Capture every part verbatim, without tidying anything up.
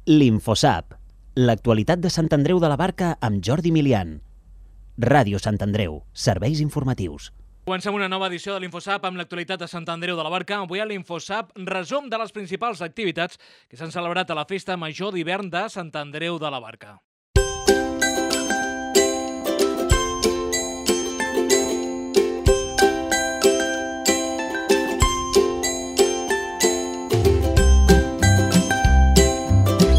L'Infosap, l'actualitat de Sant Andreu de la Barca amb Jordi Milian. Ràdio Sant Andreu, serveis informatius. Comencem una nova edició de l'Infosap amb l'actualitat de Sant Andreu de la Barca. Avui a l'Infosap, resum de les principals activitats que s'han celebrat a la Festa Major d'Hivern de Sant Andreu de la Barca.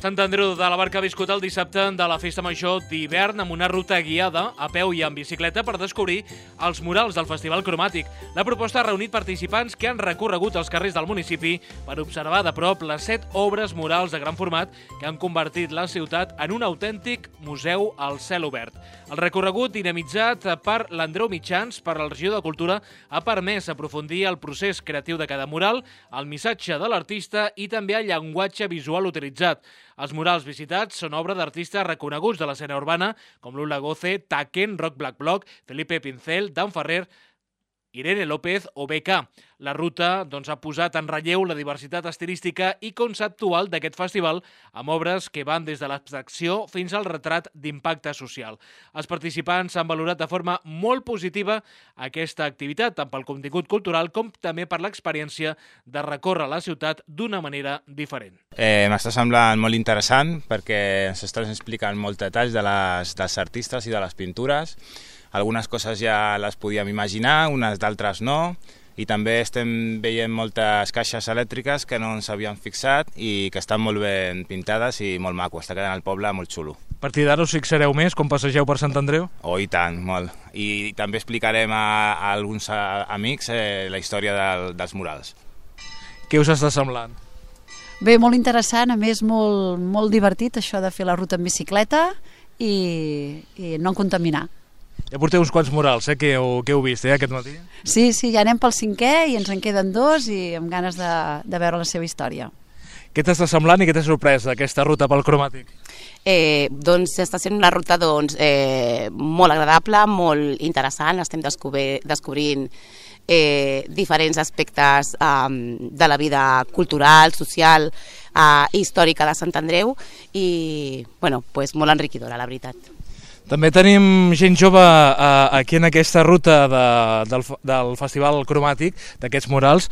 Sant Andreu de la Barca ha viscut el dissabte de la Festa Major d'Hivern amb una ruta guiada a peu i amb bicicleta per descobrir els murals del Festival Cromàtic. La proposta ha reunit participants que han recorregut els carrers del municipi per observar de prop les set obres murals de gran format que han convertit la ciutat en un autèntic museu al cel obert. El recorregut, dinamitzat per l'Andreu Mitjans per la Regió de Cultura, ha permès aprofundir el procés creatiu de cada mural, el missatge de l'artista i també el llenguatge visual utilitzat. Els murals visitats són obra d'artistes reconeguts de l'escena urbana com Lula Goce, Taken, Rock Black Block, Felipe Pincel, Dan Ferrer, Irene López o B K. La ruta doncs, ha posat en relleu la diversitat estilística i conceptual d'aquest festival amb obres que van des de l'abstracció fins al retrat d'impacte social. Els participants han valorat de forma molt positiva aquesta activitat, tant pel contingut cultural com també per l'experiència de recórrer la ciutat d'una manera diferent. Eh, M'està semblant molt interessant perquè s'estan explicant molts detalls de les, dels artistes i de les pintures. Algunes coses ja les podíem imaginar, unes d'altres no, i també estem veient moltes caixes elèctriques que no ens havíem fixat i que estan molt ben pintades i molt maco, està quedant el poble molt xulo. A partir d'ara us fixareu més quan passegeu per Sant Andreu? Oh, i tant, molt. I també explicarem a, a alguns a, amics eh, la història del, dels murals. Què us està semblant? Bé, molt interessant, a més molt, molt divertit això de fer la ruta en bicicleta i, i no contaminar. Ja porteu uns quants murals, eh, que heu, que heu vist eh, aquest matí. Sí, sí, ja anem pel cinquè i ens en queden dos i amb ganes de, de veure la seva història. Què t'està semblant i què t'ha sorprès aquesta ruta pel Cromàtic? Eh, doncs està sent una ruta doncs, eh, molt agradable, molt interessant, estem descobrir, descobrint eh, diferents aspectes eh, de la vida cultural, social i eh, històrica de Sant Andreu i bueno, pues, molt enriquidora, la veritat. També tenim gent jove eh, aquí en aquesta ruta de, del, del Festival Cromàtic, d'aquests murals.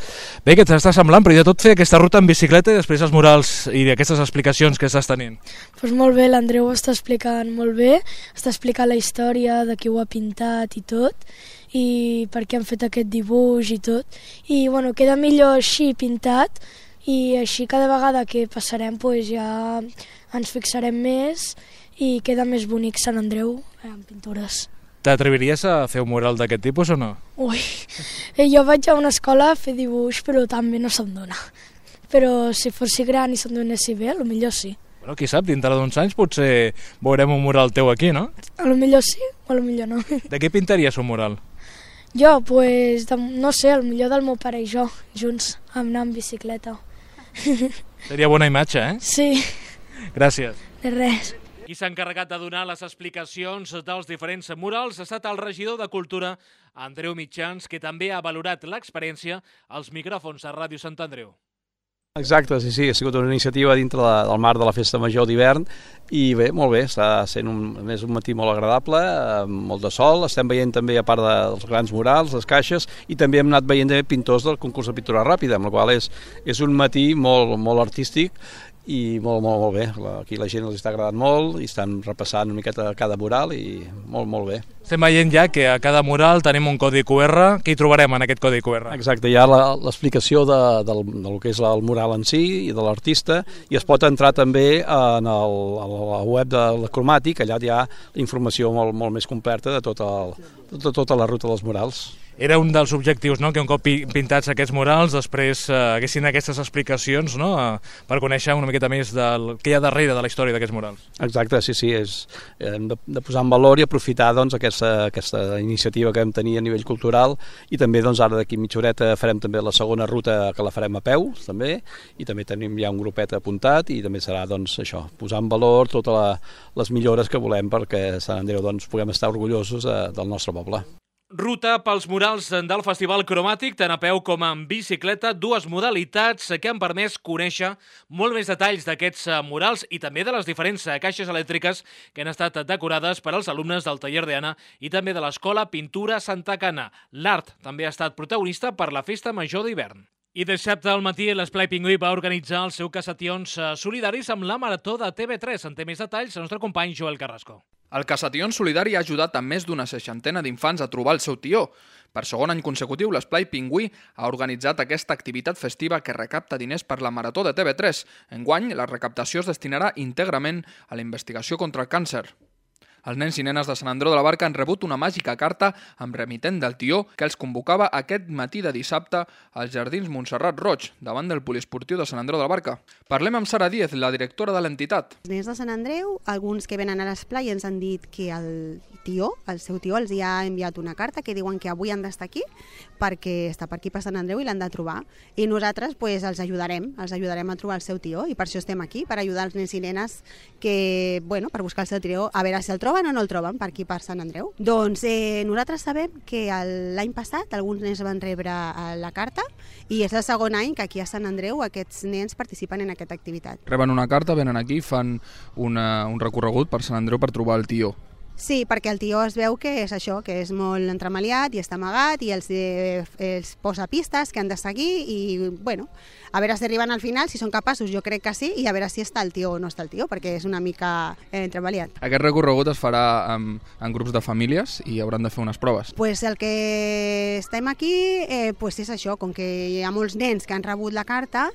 Bé, què t'està semblant? Primer de tot fer aquesta ruta en bicicleta i després els murals i aquestes explicacions que estàs tenint. Pues molt bé, l'Andreu ho està explicant molt bé, està explicant la història de qui ho ha pintat i tot, i per què han fet aquest dibuix i tot. I bueno, queda millor així pintat i així cada vegada que passarem pues, ja ens fixarem més i queda més bonic Sant Andreu amb pintures. T'atreviries a fer un mural d'aquest tipus o no? Ui, jo vaig a una escola a fer dibuix, però també no se'm dona. Però si fossi gran i se'm donessi bé, potser sí. Bueno, qui sap, dintre d'uns anys potser veurem un mural teu aquí, no? A lo millor sí, o a lo millor no. De què pintaries un mural? Jo, pues, de, no sé, el millor del meu pare i jo, junts, anar en bicicleta. Seria bona imatge, eh? Sí. Gràcies. De res. Qui s'ha encarregat de donar les explicacions dels diferents murals ha estat el regidor de Cultura, Andreu Mitjans, que també ha valorat l'experiència als micròfons a Ràdio Sant Andreu. Exacte, sí, sí, ha sigut una iniciativa dintre de, del marc de la Festa Major d'Hivern i bé, molt bé, està sent un, més un matí molt agradable, amb molt de sol, estem veient també a part de, dels grans murals, les caixes i també hem anat veient pintors del concurs de pintura ràpida, amb la qual és, és un matí molt, molt artístic i molt, molt, molt bé. Aquí la gent els està agradant molt i estan repassant una miqueta cada mural i molt, molt bé. Estem veient ja que a cada mural tenim un codi Q R. Què hi trobarem en aquest codi Q R? Exacte, hi ha l'explicació de, del, del que és el mural en si i de l'artista i es pot entrar també en el, a la web del Cromàtic, allà hi ha informació molt, molt més completa de tota, el, de tota la ruta dels murals. Era un dels objectius, no?, que un cop pintats aquests murals després eh, haguessin aquestes explicacions, no?, eh, per conèixer una miqueta més del que hi ha darrere de la història d'aquests murals. Exacte, sí, sí, és, hem de, de posar en valor i aprofitar doncs, aquesta, aquesta iniciativa que vam tenir a nivell cultural i també doncs, ara d'aquí mitja horeta farem també la segona ruta que la farem a peu també i també tenim ja un grupet apuntat i també serà doncs, això, posar en valor totes la, les millores que volem perquè Sant Andreu doncs, puguem estar orgullosos eh, del nostre poble. Ruta pels murals del Festival Cromàtic, tant a peu com en bicicleta, dues modalitats que han permès conèixer molt més detalls d'aquests murals i també de les diferents caixes elèctriques que han estat decorades per als alumnes del taller d'Anna i també de l'Escola Pintura Santa Cana. L'art també ha estat protagonista per la Festa Major d'Hivern. I dissabte al matí l'Esplai Pingüí va organitzar els seus cassations solidaris amb la Marató de T V tres. En té més detalls el nostre company Joel Carrasco. El Cassations Solidari ha ajudat a més d'una seixantena d'infants a trobar el seu tió. Per segon any consecutiu, l'Esplai Pingüí ha organitzat aquesta activitat festiva que recapta diners per la Marató de T V tres. Enguany, la recaptació es destinarà íntegrament a la investigació contra el càncer. Els nens i nenes de Sant Andreu de la Barca han rebut una màgica carta amb remitent del tió que els convocava aquest matí de dissabte als Jardins Montserrat Roig, davant del poliesportiu de Sant Andreu de la Barca. Parlem amb Sara Díez, la directora de l'entitat. Els nens de Sant Andreu, alguns que venen a l'esplai ens han dit que el tió, el seu tió, els hi ha enviat una carta que diuen que avui han d'estar aquí perquè està per aquí per Sant Andreu i l'han de trobar. I nosaltres pues, els ajudarem, els ajudarem a trobar el seu tió i per això estem aquí, per ajudar els nens i nenes que, bueno, per buscar el seu tió, a veure si el troben o no el troben per aquí per Sant Andreu. Doncs eh, nosaltres sabem que l'any passat alguns nens van rebre la carta i és el segon any que aquí a Sant Andreu aquests nens participen en aquesta activitat. Reben una carta, venen aquí, fan una, un recorregut per Sant Andreu per trobar el tió. Sí, perquè el tió es veu que és això, que és molt entremaliat i està amagat i els, eh, els posa pistes que han de seguir i, bueno, a veure si arriben al final, si són capaços, jo crec que sí, i a veure si està el tió o no està el tió, perquè és una mica eh, entremaliat. Aquest recorregut es farà en, en grups de famílies i hauran de fer unes proves. Pues el que estem aquí eh, pues és això, com que hi ha molts nens que han rebut la carta,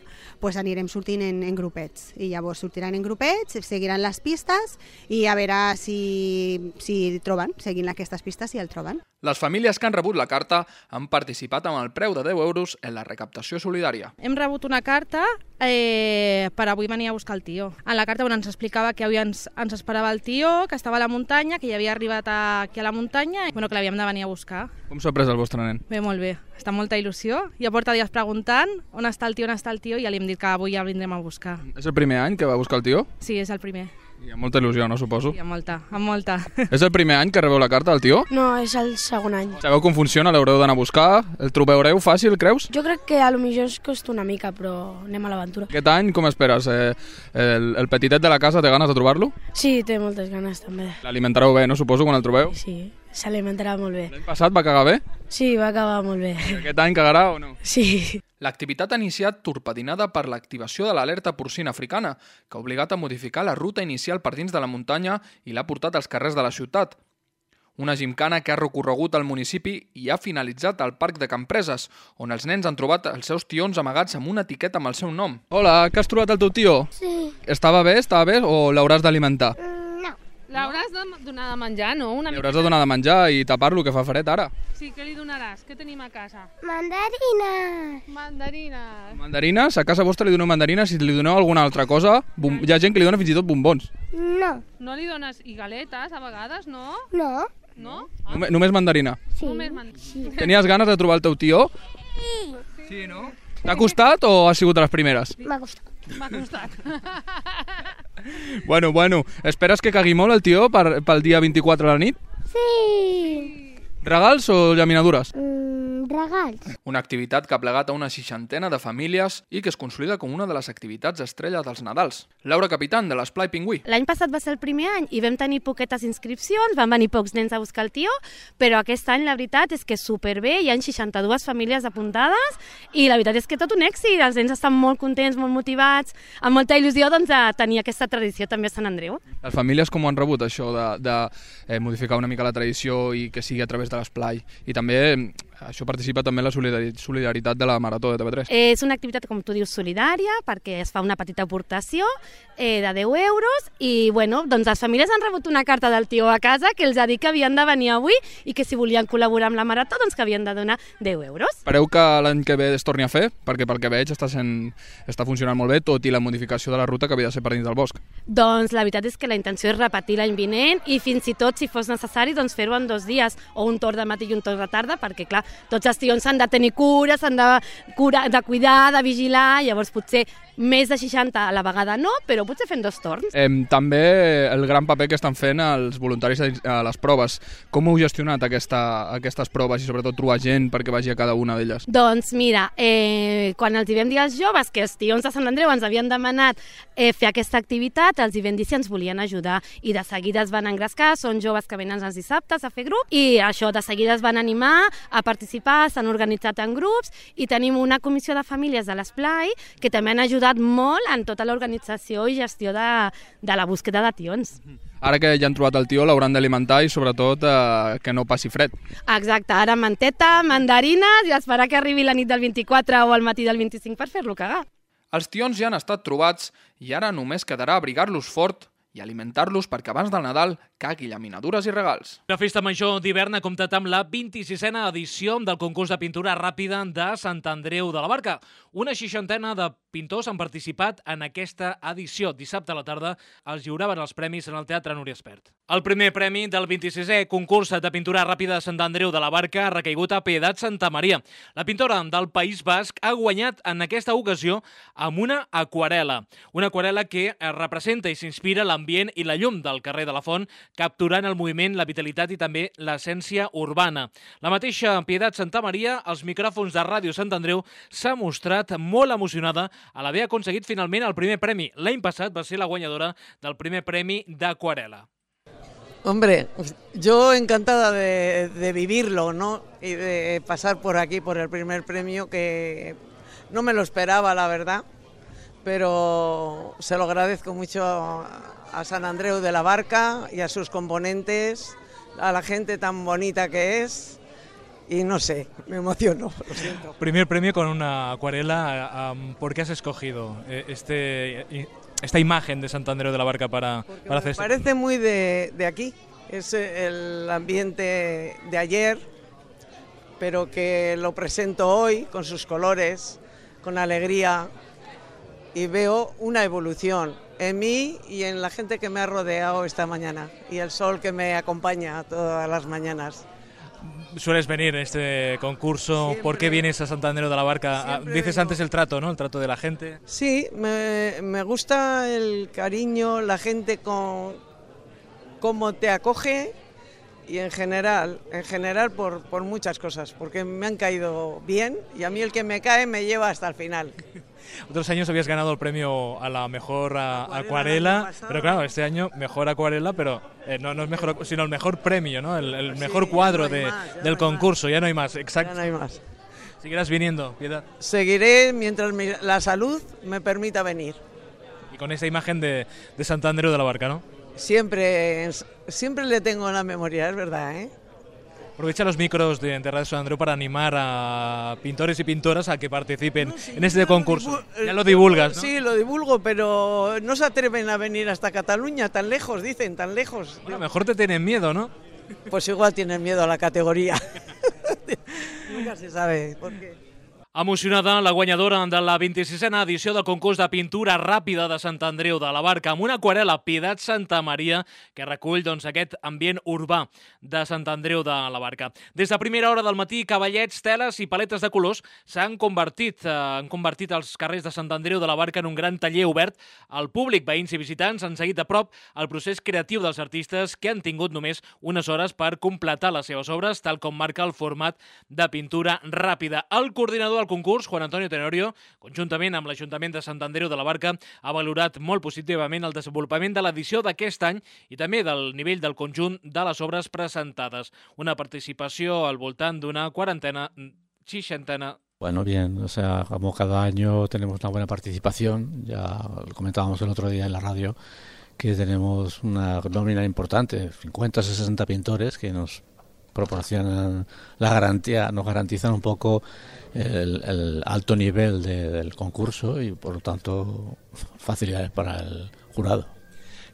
pues anirem sortint en, en grupets, i llavors sortiran en grupets, seguiran les pistes i a veure si si troben, seguint aquestes pistes, si el troben. Les famílies que han rebut la carta han participat amb el preu de deu euros en la recaptació solidària. Hem rebut una carta eh, per avui venir a buscar el tió. En la carta bueno, ens explicava que avui ens, ens esperava el tió, que estava a la muntanya, que ja havia arribat a, aquí a la muntanya i bueno, que l'havíem de venir a buscar. Com s'ha pres el vostre nen? Bé, molt bé. Està amb molta il·lusió. Ja porta dies preguntant on està el tió, on està el tió, i ja li hem dit que avui ja el vindrem a buscar. És el primer any que va buscar el tió? Sí, és el primer. I amb molta il·lusió, no, suposo? Sí, amb molta, amb molta. És el primer any que rebeu la carta del tió? No, és el segon any. Sabeu com funciona? L'haureu d'anar a buscar? El trobareu fàcil, creus? Jo crec que a lo millor es costa una mica, però anem a l'aventura. Aquest any com esperes? Eh, el, el petitet de la casa té ganes de trobar-lo? Sí, té moltes ganes també. L'alimentareu bé, no, suposo, quan el trobeu? Sí, s'alimentarà molt bé. L'any passat va cagar bé? Sí, va acabar molt bé. Aquest any cagarà o no? Sí. L'activitat ha iniciat torpedinada per l'activació de l'alerta porcina africana, que ha obligat a modificar la ruta inicial per dins de la muntanya i l'ha portat als carrers de la ciutat. Una gimcana que ha recorregut al municipi i ha finalitzat al Parc de Campreses, on els nens han trobat els seus tions amagats amb una etiqueta amb el seu nom. Hola, que has trobat el teu tió? Sí. Estava bé, estava bé o l'hauràs d'alimentar? L'hauràs de donar de menjar, no? Una Li hauràs de donar de menjar i tapar-lo, que fa fred ara. Sí, què li donaràs? Què tenim a casa? Mandarines. Mandarines. Mandarines? A casa vostra li doneu mandarines, si li doneu alguna altra cosa, bom... hi ha gent que li dona fins i tot bombons. No. No li dones i galetes a vegades, no? No. No? Ah. Només, només mandarina? Sí. Només mandarina. Sí. Tenies ganes de trobar el teu tió? Sí. Sí, no? T'ha costat o ha sigut de les primeres? M'ha costat. M'ha costat. Bueno, bueno, esperes que cagui molt el tió per, pel dia vint-i-quatre a la nit? Sí. Regals o llaminadures? Mm, regals. Una activitat que ha plegat a una seixantena de famílies i que es consolida com una de les activitats estrella dels Nadals. Laura Capitán, de l'Esplai Pingüí. L'any passat va ser el primer any i vam tenir poquetes inscripcions, van venir pocs nens a buscar el tió, però aquest any la veritat és que superbé, hi ha seixanta-dues famílies apuntades i la veritat és que tot un èxit, els nens estan molt contents, molt motivats, amb molta il·lusió doncs, de tenir aquesta tradició també a Sant Andreu. Les famílies com ho han rebut, això de, de eh, modificar una mica la tradició i que sigui a través de l'esplai? I també això participa també en la solidaritat de la Marató de T V tres. És una activitat, com tu dius, solidària, perquè es fa una petita aportació eh, de deu euros i bueno, doncs les famílies han rebut una carta del tió a casa que els ha dit que havien de venir avui i que si volien col·laborar amb la Marató doncs que havien de donar deu euros. Espereu que l'any que ve es torni a fer? Perquè pel que veig està, sent, està funcionant molt bé, tot i la modificació de la ruta que havia de ser per dins del bosc. Doncs la veritat és que la intenció és repetir l'any vinent i fins i tot, si fos necessari, doncs fer-ho en dos dies, o un torn de matí i un torn de tarda, perquè, clar, tots els tions s'han de tenir cura, s'han de, cura, de cuidar, de vigilar, llavors potser més de seixanta a la vegada no, però potser fent dos torns. Eh, també el gran paper que estan fent els voluntaris a les proves. Com heu gestionat aquesta, aquestes proves i sobretot trobar gent perquè vagi a cada una d'elles? Doncs mira, eh, quan els hi vam dir als joves que els tions de Sant Andreu ens havien demanat eh, fer aquesta activitat, els hi vam dir si ens volien ajudar i de seguida es van engrescar, són joves que venen els dissabtes a fer grup i això, de seguida es van animar a participar, s'han organitzat en grups i tenim una comissió de famílies de l'Esplai que també han ajudat molt en tota l'organització i gestió de, de la búsqueda de tions. Ara que ja han trobat el tió, l'hauran d'alimentar i sobretot eh, que no passi fred. Exacte, ara manteta, mandarines i esperar que arribi la nit del vint-i-quatre o al matí del vint-i-cinc per fer-lo cagar. Els tions ja han estat trobats i ara només quedarà abrigar-los fort i alimentar-los perquè abans del Nadal cagui llaminadures i regals. La Festa Major d'hivern ha comptat amb la vint-i-sisena edició del concurs de pintura ràpida de Sant Andreu de la Barca. Una seixantena de pintors han participat en aquesta edició. Dissabte a la tarda els lliuraven els premis en el Teatre Núria Espert. El primer premi del vint-i-sisè concurs de pintura ràpida de Sant Andreu de la Barca ha recaigut a Pietat Santamaria. La pintora del País Basc ha guanyat en aquesta ocasió amb una aquarel·la. Una aquarel·la que representa i s'inspira l'ambient i la llum del carrer de la Font, capturant el moviment, la vitalitat i també l'essència urbana. La mateixa Pietat Santamaria, als micròfons de Ràdio Sant Andreu, s'ha mostrat molt emocionada a l'haver aconseguit finalment el primer premi. L'any passat va ser la guanyadora del primer premi d'aquarel·la. Hombre, yo encantada de, de vivirlo, ¿no? Y de pasar por aquí por el primer premio, que no me lo esperaba, la verdad, pero se lo agradezco mucho a San Andreu de la Barca y a sus componentes, a la gente tan bonita que es, y no sé, me emociono, lo siento. Primer premio con una acuarela, um, ¿por qué has escogido este... esta imagen de Sant Andreu de la Barca para, para hacer Me parece muy de, de aquí, es el ambiente de ayer, pero que lo presento hoy con sus colores, con alegría, y veo una evolución en mí y en la gente que me ha rodeado esta mañana, y el sol que me acompaña todas las mañanas. Sueles venir en este concurso, siempre. ¿Por qué vienes a Sant Andreu de la Barca? Siempre Dices vengo. Antes el trato, ¿no? El trato de la gente. Sí, me, me gusta el cariño, la gente con cómo te acoge y en general, en general por, por muchas cosas, porque me han caído bien y a mí el que me cae me lleva hasta el final. Otros años habías ganado el premio a la mejor a, acuarela, acuarela pero claro, este año mejor acuarela, pero eh, no, no es mejor, sino el mejor premio, ¿no? El, el mejor sí, cuadro no de, más, del concurso, más. Ya no hay más, exacto. Ya no hay más. ¿Seguirás viniendo, Piedad? Seguiré mientras mi, la salud me permita venir. Y con esa imagen de, de Sant Andreu de la Barca, ¿no? Siempre, siempre le tengo en la memoria, es verdad, ¿eh? Aprovecha los micros de, de Radio Sant Andreu para animar a pintores y pintoras a que participen no, sí, en este concurso. Ya lo divulgas, ¿no? Sí, lo divulgo, pero no se atreven a venir hasta Cataluña, tan lejos, dicen, tan lejos. Bueno, mejor te tienen miedo, ¿no? Pues igual tienen miedo a la categoría. Nunca se sabe por qué. Emocionada, la guanyadora de la vint-i-sisena edició del concurs de pintura ràpida de Sant Andreu de la Barca amb una aquarel·la Pietat Santamaria que recull doncs, aquest ambient urbà de Sant Andreu de la Barca. Des de primera hora del matí, cavallets, teles i paletes de colors s'han convertit, eh, han convertit els carrers de Sant Andreu de la Barca en un gran taller obert al públic. Veïns i visitants han seguit de prop el procés creatiu dels artistes que han tingut només unes hores per completar les seves obres, tal com marca el format de pintura ràpida. El coordinador del concurs, Juan Antonio Tenorio, conjuntament amb l'Ajuntament de Sant Andreu de la Barca, ha valorat molt positivament el desenvolupament de l'edició d'aquest any i també del nivell del conjunt de les obres presentades. Una participació al voltant d'una quarantena, seixantena. Bueno, bien, o sea, como cada año tenemos una buena participación, ya lo comentábamos el otro día en la radio, que tenemos una nómina importante, cincuenta a sesenta pintores que nos proporcionan la garantía, nos garantizan un poco el, el alto nivel de, del concurso y por lo tanto facilidades para el jurado.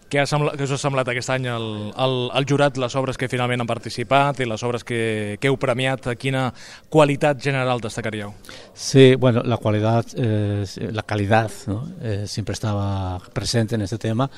Què, ha sembla, què us ha semblat aquest any el, el, el jurat, les obres que finalment han participat i les obres que, que heu premiat? Quina qualitat general destacaríeu? Sí, bueno, la cualidad, eh, la calidad, ¿no? eh, siempre estaba presente en este tema.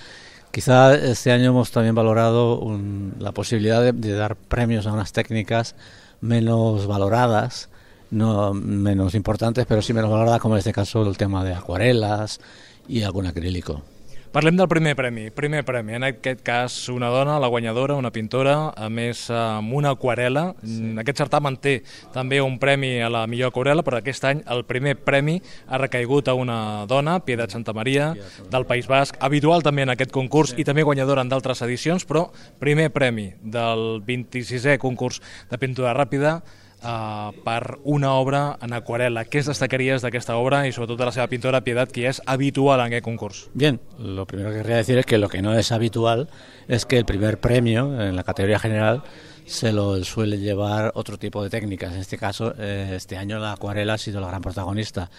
Quizá este año hemos también valorado un, la posibilidad de, de dar premios a unas técnicas menos valoradas, no menos importantes, pero sí menos valoradas, como en este caso el tema de acuarelas y algún acrílico. Parlem del primer premi. Primer premi, en aquest cas una dona, la guanyadora, una pintora, a més amb una aquarela. Sí. Aquest certamen té també un premi a la millor aquarela, però aquest any el primer premi ha recaigut a una dona, Pietat Santamaria, del País Basc, habitual també en aquest concurs i també guanyadora en d'altres edicions, però primer premi del vint-i-sisè concurs de pintura ràpida Uh, per una obra en acuarela. ¿Qué destacarías de esta obra y sobre todo de la seva pintora Pietat, que es habitual en el concurso? Bien, lo primero que querría decir es que lo que no es habitual es que el primer premio en la categoría general se lo suele llevar otro tipo de técnicas. En este caso, eh, este año la acuarela ha sido la gran protagonista.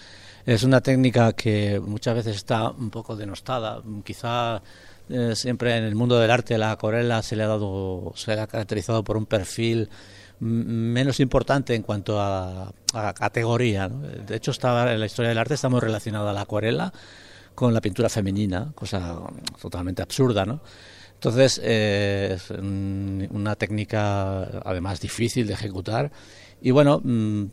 Es una técnica que muchas veces está un poco denostada. Quizá eh, siempre en el mundo del arte la acuarela se le ha dado, se le ha caracterizado por un perfil menos importante en cuanto a, a categoría, ¿no? De hecho, está, en la historia del arte está muy relacionada la acuarela con la pintura femenina, cosa totalmente absurda, ¿no? Entonces, eh, es una técnica además difícil de ejecutar y bueno,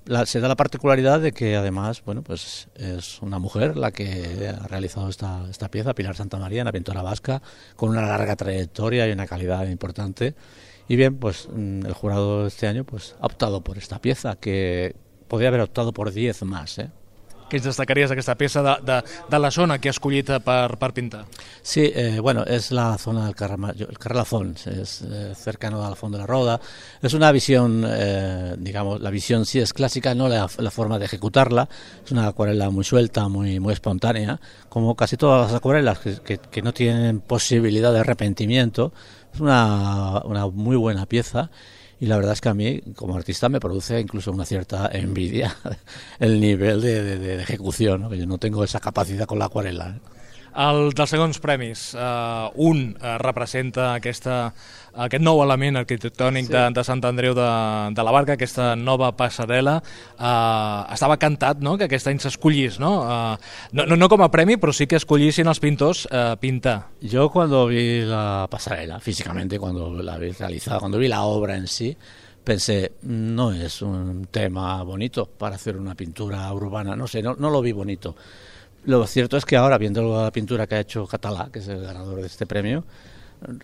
la, se da la particularidad de que además, bueno, pues es una mujer la que ha realizado esta, esta pieza, Pilar Santamaria, una pintora vasca con una larga trayectoria y una calidad importante. Y bien, pues el jurado este año pues ha optado por esta pieza, que podría haber optado por diez más, ¿eh? ¿Qué destacarías de esta pieza de, de, de la zona que has escollit per, per pintar? Sí, eh, bueno, es la zona del Carrelazón, es eh, cercano al fondo de la Roda. Es una visión, eh, digamos, la visión sí es clásica, no la, la forma de ejecutarla. Es una acuarela muy suelta, muy, muy espontánea, como casi todas las acuarelas que, que, que no tienen posibilidad de arrepentimiento. Es una, una muy buena pieza. Y la verdad es que a mí, como artista, me produce incluso una cierta envidia el nivel de, de, de ejecución, ¿no? Yo no tengo esa capacidad con la acuarela, ¿eh? El dels segons premis, uh, un uh, representa aquesta, aquest nou element arquitectònic sí. de, de Sant Andreu de, de la Barca, aquesta nova passarel·la. Uh, estava cantat, no?, que aquest any s'escollís, ¿no? Uh, no, no? No com a premi, però sí que escollissin els pintors uh, pintar. Yo cuando vi la pasarela, físicamente, cuando la vi realizada, cuando vi la obra en sí, pensé, no es un tema bonito para hacer una pintura urbana, no sé, no, no lo vi bonito. Lo cierto es que ahora, viendo la pintura que ha hecho Català, que es el ganador de este premio,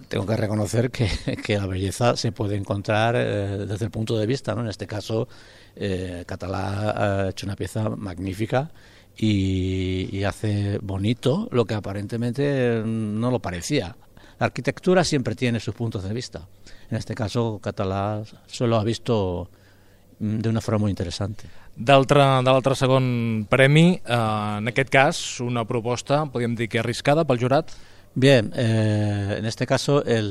tengo que reconocer que, que la belleza se puede encontrar eh, desde el punto de vista, ¿no? En este caso, eh, Català ha hecho una pieza magnífica y, y hace bonito lo que aparentemente no lo parecía. La arquitectura siempre tiene sus puntos de vista. En este caso, Català solo ha visto de una forma muy interesante. D'altre segon premi, eh, en aquest cas, una proposta, podríem dir que arriscada pel jurat? Bien, eh, en este caso el,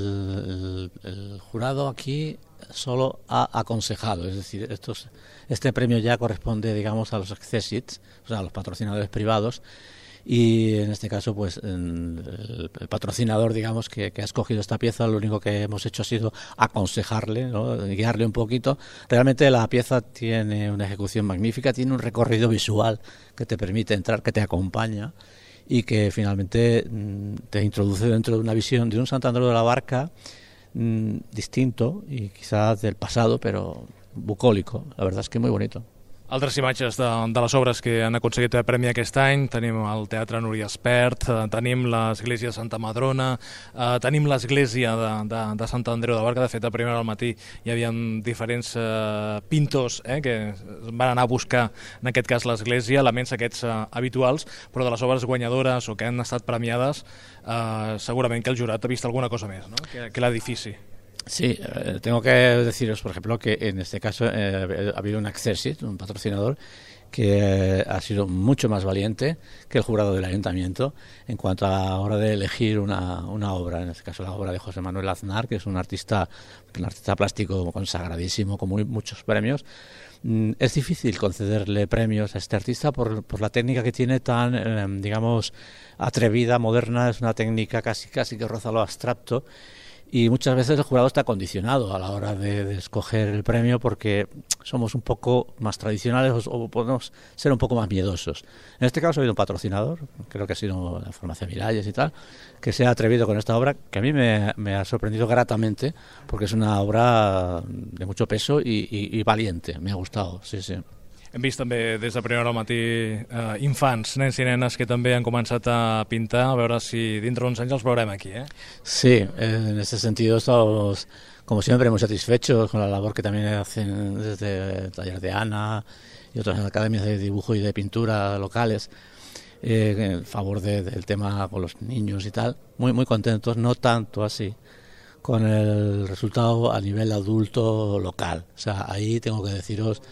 el, el jurado aquí solo ha aconsejado, es decir, estos, este premio ya corresponde, digamos, a los accessits, o sea, a los patrocinadores privados, y en este caso pues el, el patrocinador, digamos, que, que ha escogido esta pieza, lo único que hemos hecho ha sido aconsejarle, ¿no?, guiarle un poquito. Realmente la pieza tiene una ejecución magnífica, tiene un recorrido visual que te permite entrar, que te acompaña y que finalmente te introduce dentro de una visión de un Sant Andreu de la Barca mmm, distinto y quizás del pasado, pero bucólico. La verdad es que muy bonito. Altres imatges de, de les obres que han aconseguit el premi aquest any, tenim el Teatre Núria Espert, eh, tenim l'església de Santa Madrona, eh, tenim l'església de, de, de Sant Andreu de Barca. De fet, a primera al matí hi havia diferents eh, pintors eh, que van anar a buscar, en aquest cas, l'església, elements aquests eh, habituals, però de les obres guanyadores o que han estat premiades, eh, segurament que el jurat ha vist alguna cosa més, no?, que, que l'edifici. Sí, eh, tengo que deciros, por ejemplo, que en este caso eh, ha habido un accessit, un patrocinador, que eh, ha sido mucho más valiente que el jurado del ayuntamiento en cuanto a la hora de elegir una, una obra, en este caso la obra de José Manuel Aznar, que es un artista, un artista plástico consagradísimo, con muy, muchos premios. Es difícil concederle premios a este artista por, por la técnica que tiene tan, eh, digamos, atrevida, moderna. Es una técnica casi, casi que roza lo abstracto, y muchas veces el jurado está condicionado a la hora de, de escoger el premio porque somos un poco más tradicionales o, o podemos ser un poco más miedosos. En este caso ha habido un patrocinador, creo que ha sido la Farmacia Miralles y tal, que se ha atrevido con esta obra, que a mí me, me ha sorprendido gratamente porque es una obra de mucho peso y, y, y valiente. Me ha gustado, sí, sí. Hem vist també des de primera hora al matí eh, infants, nens i nenes que també han començat a pintar, a veure si dintre d'uns anys els veurem aquí, ¿eh? Sí, en ese sentido estamos, como siempre, muy satisfechos con la labor que también hacen desde el taller de Ana y otras academias de dibujo y de pintura locales, eh, en favor de, del tema con los niños y tal. Muy, muy contentos, no tanto así con el resultado a nivel adulto local. O sea, ahí tengo que deciros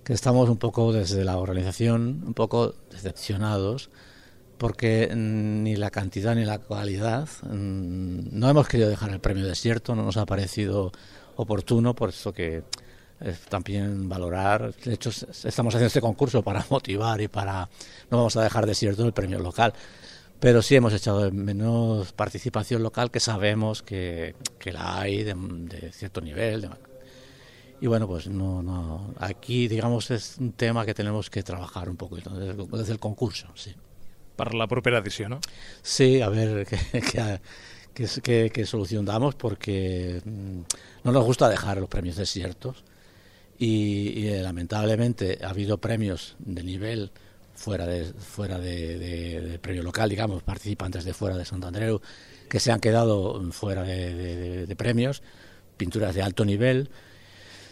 que estamos un poco desde la organización un poco decepcionados porque ni la cantidad ni la calidad, no hemos querido dejar el premio desierto, no nos ha parecido oportuno, por eso que es también valorar. De hecho, estamos haciendo este concurso para motivar y para, no vamos a dejar desierto el premio local, pero sí hemos echado de menos participación local, que sabemos que, que la hay de, de cierto nivel, de, y bueno, pues no, no, aquí digamos es un tema que tenemos que trabajar un poco desde, desde el concurso, sí. Per la propera edició, ¿no? Sí, a ver qué, qué, qué, qué, qué solución damos, porque no nos gusta dejar los premios desiertos y, y lamentablemente ha habido premios de nivel fuera de fuera de, de, de premio local, digamos, participantes de fuera de Sant Andreu que se han quedado fuera de, de, de, de premios, pinturas de alto nivel,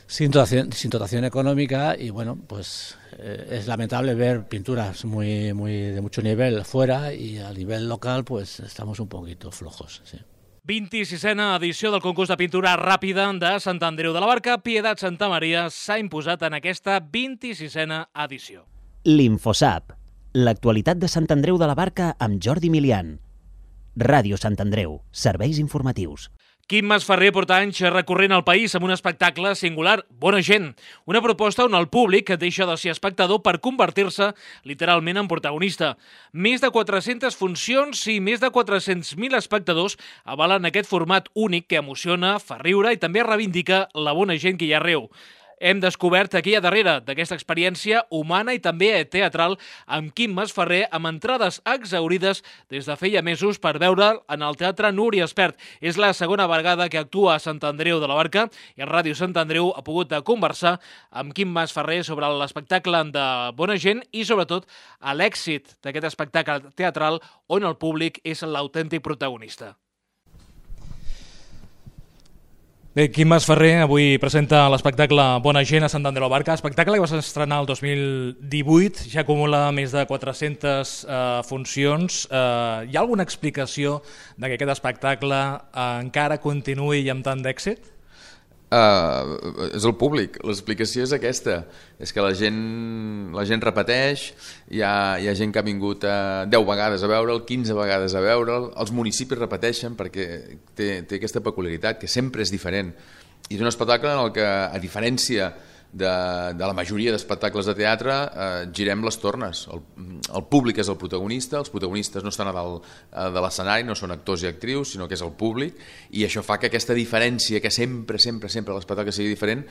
sin dotación, sin dotación económica, y bueno, pues eh, es lamentable ver pinturas muy, muy de mucho nivel fuera, y a nivel local pues estamos un poquito flojos, sí. vint-i-sisena edició del concurs de pintura ràpida de Sant Andreu de la Barca. Pietat Santa Maria s'ha imposat en aquesta vint-i-sisena edició. L'Infosap, l'actualitat de Sant Andreu de la Barca amb Jordi Milian. Ràdio Sant Andreu, serveis informatius. Quim Masferrer porta anys recorrent el país amb un espectacle singular, Bona gent, una proposta on el públic deixa de ser espectador per convertir-se literalment en protagonista. Més de quatre-centes funcions i més de quatre-cents mil espectadors avalen aquest format únic que emociona, fa riure i també reivindica la bona gent que hi ha arreu. Hem descobert aquí a darrere d'aquesta experiència humana i també teatral amb Quim Masferrer, amb entrades exhaurides des de feia mesos per veure'l en el Teatre Núria Espert. És la segona vegada que actua a Sant Andreu de la Barca i Ràdio Sant Andreu ha pogut conversar amb Quim Masferrer sobre l'espectacle de Bona gent i sobretot a l'èxit d'aquest espectacle teatral on el públic és l'autèntic protagonista. Bé, Quim Masferrer avui presenta l'espectacle Bona gent a Sant Andreu de la Barca, espectacle que va estrenar el dos mil divuit, ja acumula més de quatre-centes eh, funcions. Eh, hi ha alguna explicació de que aquest espectacle eh, encara continuï amb tant d'èxit? Uh, és el públic, l'explicació és aquesta, és que la gent, la gent repeteix, hi ha, hi ha gent que ha vingut uh, deu vegades a veure'l, quinze vegades a veure'l, els municipis repeteixen perquè té, té aquesta peculiaritat que sempre és diferent, i és un espectacle en el que, a diferència de, de la majoria d'espectacles de teatre, eh, girem les tornes, el, el públic és el protagonista, els protagonistes no estan a dalt de l'escenari, no són actors i actrius, sinó que és el públic, i això fa que aquesta diferència, que sempre, sempre, sempre l'espectacle sigui diferent,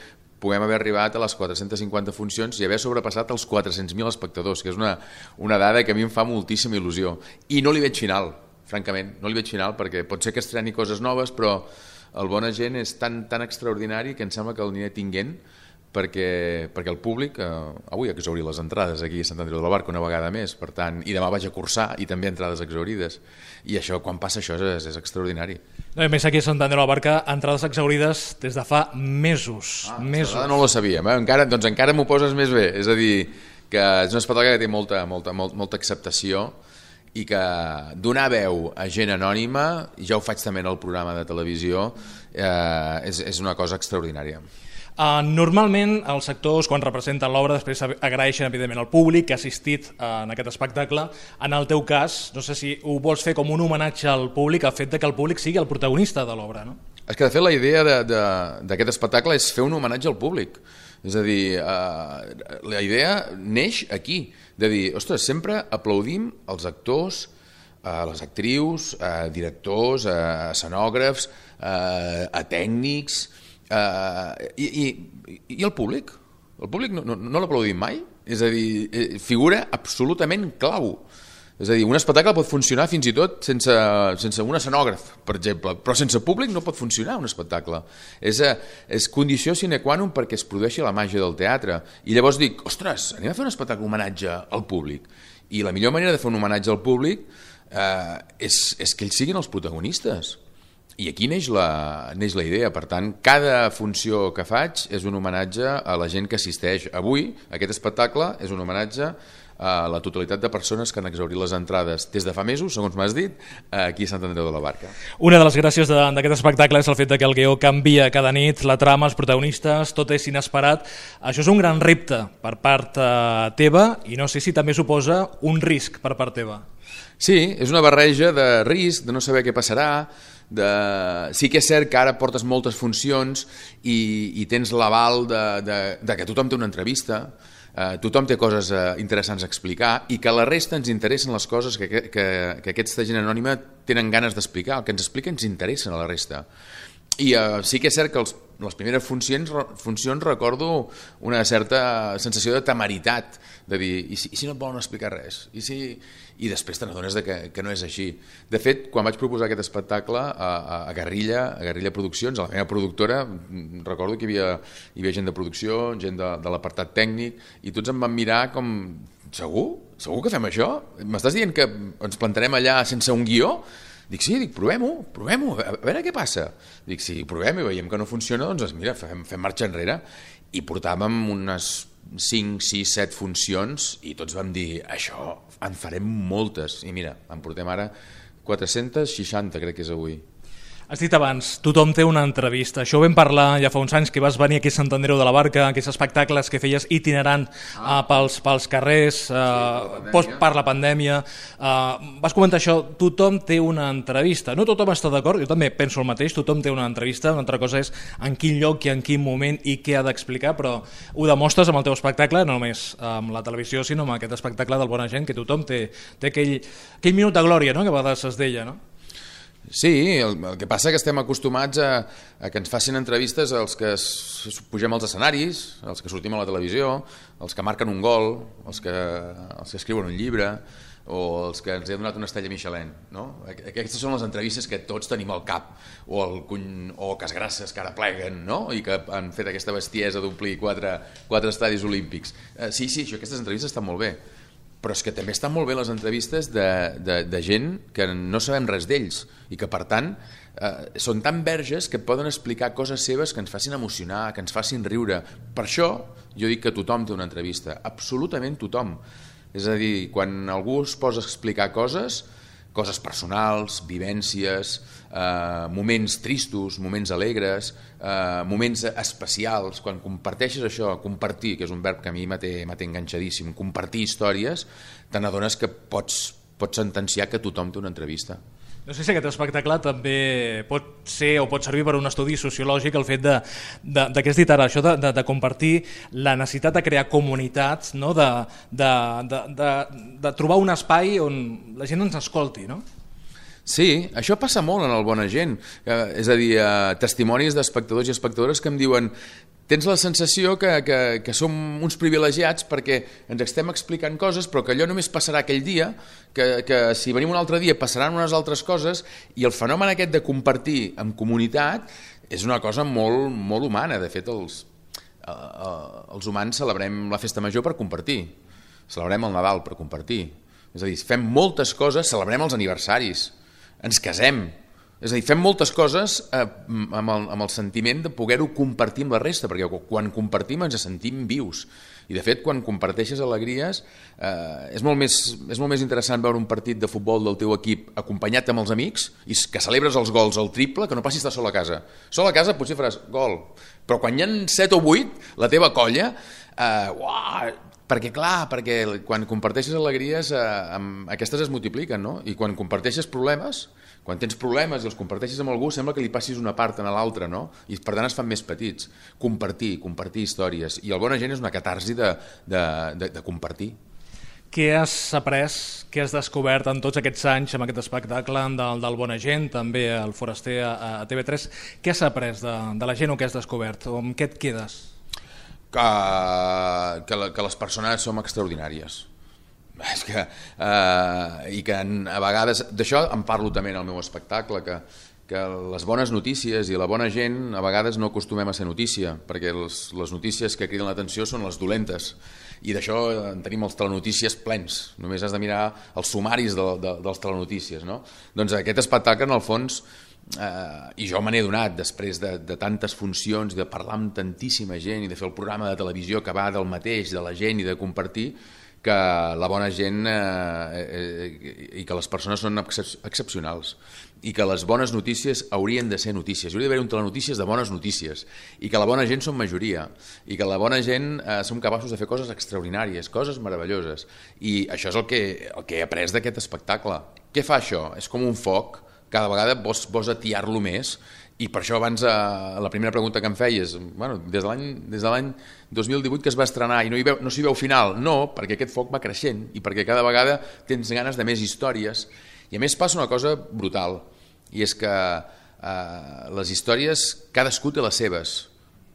puguem haver arribat a les quatre-centes cinquanta funcions i haver sobrepassat els quatre-cents mil espectadors, que és una, una dada que a mi em fa moltíssima il·lusió. I no li veig final, francament, no li veig final, perquè pot ser que estreni coses noves, però el Bona gent és tan, tan extraordinari que em sembla que el aniré tinguent, perquè, perquè el públic, eh, avui ha exhaurit les entrades aquí a Sant Andreu de la Barca una vegada més, per tant, i demà vaig a cursar i també entrades exhaurides, i això, quan passa això, és, és extraordinari. No, a més, aquí a Sant Andreu de la Barca, entrades exhaurides des de fa mesos. Ah, mesos. No ho sabíem, eh? encara, doncs encara m'ho poses més bé, és a dir, que és un espectacle que té molta, molta, molta, molta acceptació, i que donar veu a gent anònima, i ja ho faig també en el programa de televisió, eh, és, és una cosa extraordinària. Uh, normalment els actors quan representen l'obra després agraeixen evidentment al públic que ha assistit uh, en aquest espectacle. En el teu cas, no sé si ho vols fer com un homenatge al públic, el fet de que el públic sigui el protagonista de l'obra, no? És que de fet la idea d'aquest espectacle és fer un homenatge al públic. És a dir, eh, la idea neix aquí, de dir, ostres, sempre aplaudim els actors, eh, les actrius, eh, directors, eh, escenògrafs, eh, a tècnics, eh, i, i, i el públic? El públic no, no, no l'aplaudim mai? És a dir, figura absolutament clau. És a dir, un espectacle pot funcionar fins i tot sense, sense un escenògraf, per exemple, però sense públic no pot funcionar un espectacle. És, és condició sine qua non perquè es produeixi la màgia del teatre. I llavors dic, ostres, anem a fer un espectacle homenatge al públic. I la millor manera de fer un homenatge al públic eh, és, és que ells siguin els protagonistes. I aquí neix la, neix la idea. Per tant, cada funció que faig és un homenatge a la gent que assisteix. Avui, aquest espectacle és un homenatge a la totalitat de persones que han exhaurit les entrades des de fa mesos, segons m'has dit, aquí a Sant Andreu de la Barca. Una de les gràcies d'aquest espectacle és el fet que el guió canvia cada nit, la trama, els protagonistes, tot és inesperat. Això és un gran repte per part eh, teva i no sé si també suposa un risc per part teva. Sí, és una barreja de risc, de no saber què passarà, de... sí que és cert que ara portes moltes funcions i, i tens l'aval de, de, de que tothom té una entrevista, Uh, tothom té coses uh, interessants a explicar i que a la resta ens interessen les coses que, que, que aquesta gent anònima tenen ganes d'explicar. El que ens explica ens interessa a la resta. I uh, sí que és cert que els, les primeres funcions, funcions recordo una certa sensació de temeritat, de dir, i si, i si no et volen explicar res? I, si... I després te n'adones que, que no és així. De fet, quan vaig proposar aquest espectacle a, a, a Guerrilla, a Guerrilla Produccions, a la meva productora, recordo que hi havia, hi havia gent de producció, gent de, de l'apartat tècnic, i tots em van mirar com, segur? Segur que fem això? M'estàs dient que ens plantarem allà sense un guió? Dic, sí, dic, provem-ho, provem-ho, a veure què passa. Dic, si provem i veiem que no funciona, doncs mira, fem, fem marxa enrere. I portàvem unes cinc, sis, set funcions i tots vam dir, això en farem moltes. I mira, en portem ara quatre-centes seixanta, crec que és avui. Has dit abans, tothom té una entrevista. Això ho vam parlar ja fa uns anys que vas venir aquí a Sant Andreu de la Barca, aquests espectacles que feies itinerant ah. uh, pels, pels carrers, uh, sí, post, per la pandèmia. Uh, vas comentar això, tothom té una entrevista. No tothom està d'acord, jo també penso el mateix, tothom té una entrevista, una altra cosa és en quin lloc i en quin moment i què ha d'explicar, però ho demostres amb el teu espectacle, no només amb la televisió, sinó amb aquest espectacle del Bona Gent, que tothom té, té aquell, aquell minut de glòria, no?, que a vegades es deia, no? Sí, el, el que passa és que estem acostumats a, a que ens facin entrevistes als que es, pugem als escenaris, als que sortim a la televisió, els que marquen un gol, els que, els que escriuen un llibre o els que ens han donat una estrella Michelin, no? Aquestes són les entrevistes que tots tenim al cap, o el cuny, o Casgrasses que ara pleguen, no? I que han fet aquesta bestiesa d'omplir quatre, quatre estadis olímpics. Eh, sí, sí, això, aquestes entrevistes estan molt bé, però és que també estan molt bé les entrevistes de, de, de gent que no sabem res d'ells i que per tant eh, són tan verges que poden explicar coses seves que ens facin emocionar, que ens facin riure. Per això jo dic que tothom té una entrevista, absolutament tothom. És a dir, quan algú es posa a explicar coses, coses personals, vivències, eh, moments tristos, moments alegres, eh, moments especials, quan comparteixes això, compartir, que és un verb que a mi m'ha té enganxadíssim, compartir històries, te n'adones que pots, pots sentenciar que tothom té una entrevista. No sé si aquest espectacle també pot ser o pot servir per un estudi sociològic, el fet de, de, de què has dit ara, això de, de, de compartir la necessitat de crear comunitats, no? de, de, de, de, de trobar un espai on la gent ens escolti, no? Sí, això passa molt en el Bona Gent, eh, és a dir, eh, testimonis d'espectadors i espectadores que em diuen tens la sensació que, que, que som uns privilegiats perquè ens estem explicant coses però que allò només passarà aquell dia, que, que si venim un altre dia passaran unes altres coses i el fenomen aquest de compartir en comunitat és una cosa molt, molt humana. De fet, els, eh, els humans celebrem la festa major per compartir, celebrem el Nadal per compartir, és a dir, fem moltes coses, celebrem els aniversaris, ens casem, és a dir, fem moltes coses eh, amb, el, amb el sentiment de poder-ho compartir amb la resta, perquè quan compartim ens sentim vius. I de fet, quan comparteixes alegries, eh, és, molt més, és molt més interessant veure un partit de futbol del teu equip acompanyat amb els amics i que celebres els gols al triple, que no passi estar sol a casa. Sol a casa potser faràs gol, però quan hi ha set o vuit, la teva colla, eh, uah, perquè clar, perquè quan comparteixes alegries, eh, aquestes es multipliquen, no? I quan comparteixes problemes, Quan tens problemes i els comparteixes amb algú, sembla que li passis una part a l'altra, no? I per tant es fan més petits. Compartir, compartir històries. I el Bona Gent és una catarsi de, de, de, de compartir. Què has après, què has descobert en tots aquests anys amb aquest espectacle del, del Bona Gent, també el Foraster a, a T V tres? Què has après de, de la gent o què has descobert? O amb què et quedes? Que, que, que les persones som extraordinàries. És que, eh, i que a vegades, d'això en parlo també en el meu espectacle, que, que les bones notícies i la bona gent a vegades no acostumem a ser notícia, perquè les, les notícies que criden l'atenció són les dolentes, i d'això en tenim els telenotícies plens, només has de mirar els sumaris de, de, dels telenotícies, no? Doncs aquest espectacle, en el fons, eh, i jo me n'he donat després de, de tantes funcions, de parlar amb tantíssima gent i de fer el programa de televisió que va del mateix, de la gent i de compartir, que la bona gent eh, eh, i que les persones són excepcionals i que les bones notícies haurien de ser notícies, hauria d'haver un telenotícies de bones notícies i que la bona gent som majoria i que la bona gent eh, som capaços de fer coses extraordinàries, coses meravelloses, i això és el que, el que he après d'aquest espectacle. Què fa això? És com un foc, cada vegada vols, vols atiar-lo més. I per això abans, eh, la primera pregunta que em feies, bueno, des de l'any des de l'any dos mil divuit que es va estrenar i no, hi veu, no s'hi veu final, no, perquè aquest foc va creixent i perquè cada vegada tens ganes de més històries. I a més passa una cosa brutal, i és que eh, les històries, cadascú té les seves.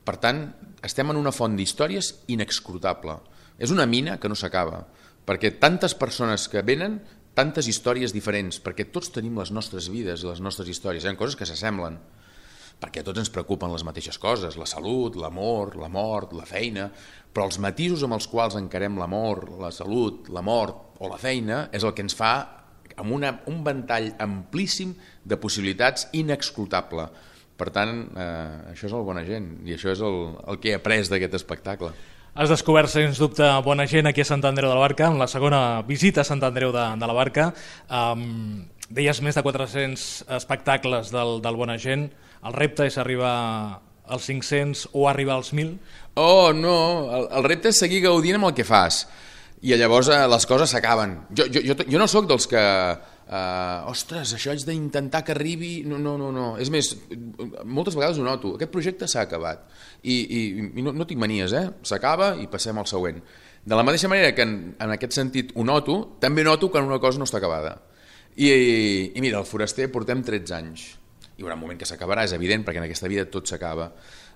Per tant, estem en una font d'històries inexcrutable. És una mina que no s'acaba, perquè tantes persones que venen, tantes històries diferents, perquè tots tenim les nostres vides i les nostres històries. Hi ha coses que s'assemblen, perquè a tots ens preocupen les mateixes coses, la salut, l'amor, la mort, la feina, però els matisos amb els quals encarem l'amor, la salut, la mort o la feina és el que ens fa amb una, un ventall amplíssim de possibilitats inexclutable. Per tant, eh, això és el Bona Gent i això és el, el que he après d'aquest espectacle. Has descobert, sens dubte, bona gent aquí a Sant Andreu de la Barca, en la segona visita a Sant Andreu de, de la Barca. Um, deies més de quatre-cents espectacles del, del Bona Gent. El repte és arribar als cinc-cents o arribar als mil? Oh, no, el, el repte és seguir gaudint amb el que fas. I llavors eh, les coses s'acaben. Jo, jo, jo, jo no sóc dels que... Uh, ostres, això haig d'intentar que arribi... No, no, no, no. És més, moltes vegades ho noto. Aquest projecte s'ha acabat. I, i, i no, no tinc manies, eh? S'acaba i passem al següent. De la mateixa manera que en, en aquest sentit ho noto, també noto quan una cosa no està acabada. I, i mira, el Foraster portem tretze anys. Hi haurà un moment que s'acabarà, és evident, perquè en aquesta vida tot s'acaba.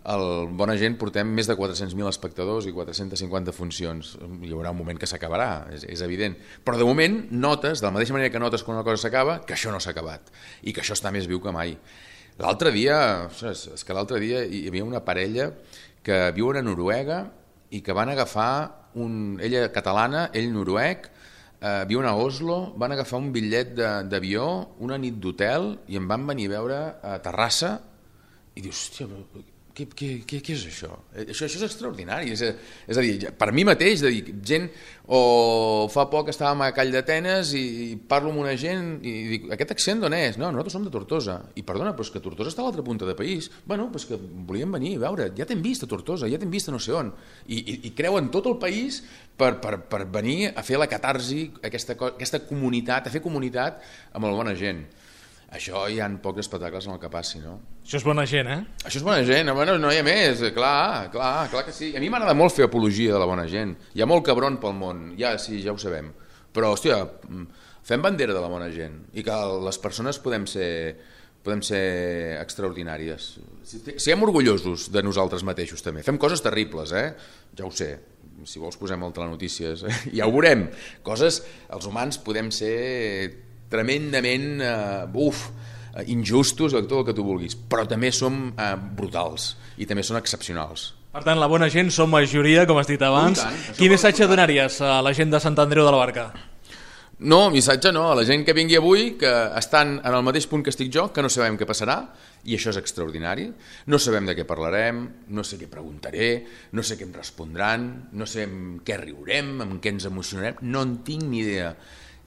El Bona Gent portem més de quatre-cents mil espectadors i quatre-centes cinquanta funcions. Hi haurà un moment que s'acabarà, és, és evident. Però de moment notes, de la mateixa manera que notes quan una cosa s'acaba, que això no s'ha acabat i que això està més viu que mai. L'altre dia, ostres, és que l'altre dia hi havia una parella que viuen a Noruega i que van agafar, un, ella catalana, ell noruec, eh, viuen a Oslo, van agafar un bitllet d'avió, una nit d'hotel i em van venir a veure a Terrassa i dius, hòstia, Què, què, què, què és això? això? Això és extraordinari. És a, és a dir, per mi mateix, de dir, gent, o fa poc estàvem a Call d'Atenes i, i parlo amb una gent i dic, aquest accent d'on és? No, nosaltres som de Tortosa. I perdona, però és que Tortosa està a l'altra punta del país. Bueno, però és que volíem venir a veure, ja t'hem vist a Tortosa, ja t'hem vist a no sé on. I, i, i creuen tot el país per, per, per venir a fer la catarsi, aquesta, aquesta comunitat, a fer comunitat amb la bona gent. Això hi ha pocs espectacles en el que passi, no? Això és bona gent, eh? Això és bona gent, bueno, no hi ha més, clar, clar, clar que sí. A mi m'agrada molt fer apologia de la bona gent. Hi ha molt cabron pel món, ja sí, ja ho sabem. Però, hòstia, fem bandera de la bona gent i que les persones podem ser, podem ser extraordinàries. Siguem orgullosos de nosaltres mateixos també. Fem coses terribles, eh? Ja ho sé. Si vols posem el telenotícies, eh? Ja ho veurem. Coses, els humans podem ser tremendament uh, uf, uh, injustos, tot el que tu vulguis, però també som uh, brutals i també són excepcionals. Per tant, la bona gent som majoria, com has dit abans. Quin missatge donaries a la gent de Sant Andreu de la Barca? No, missatge no, a la gent que vingui avui, que estan en el mateix punt que estic jo, que no sabem què passarà, i això és extraordinari. No sabem de què parlarem, no sé què preguntaré, no sé què em respondran, no sé amb què riurem, amb què ens emocionarem, no en tinc ni idea.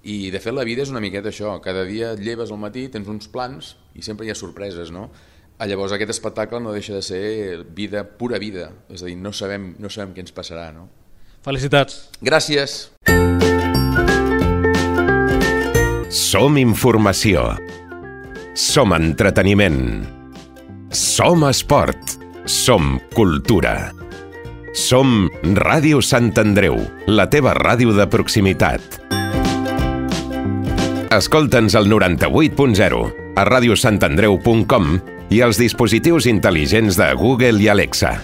I de fet la vida és una miqueta això, cada dia et lleves al matí, tens uns plans i sempre hi ha sorpreses, no? Llavors aquest espectacle no deixa de ser vida, pura vida, és a dir, no sabem, no sabem què ens passarà, no? Felicitats. Gràcies. Som informació. som entreteniment. Som esport. Som cultura. Som Ràdio Sant Andreu, la teva ràdio de proximitat. Escolta'ns al noranta-vuit punt zero, a radiosantandreu punt com i als dispositius intel·ligents de Google i Alexa.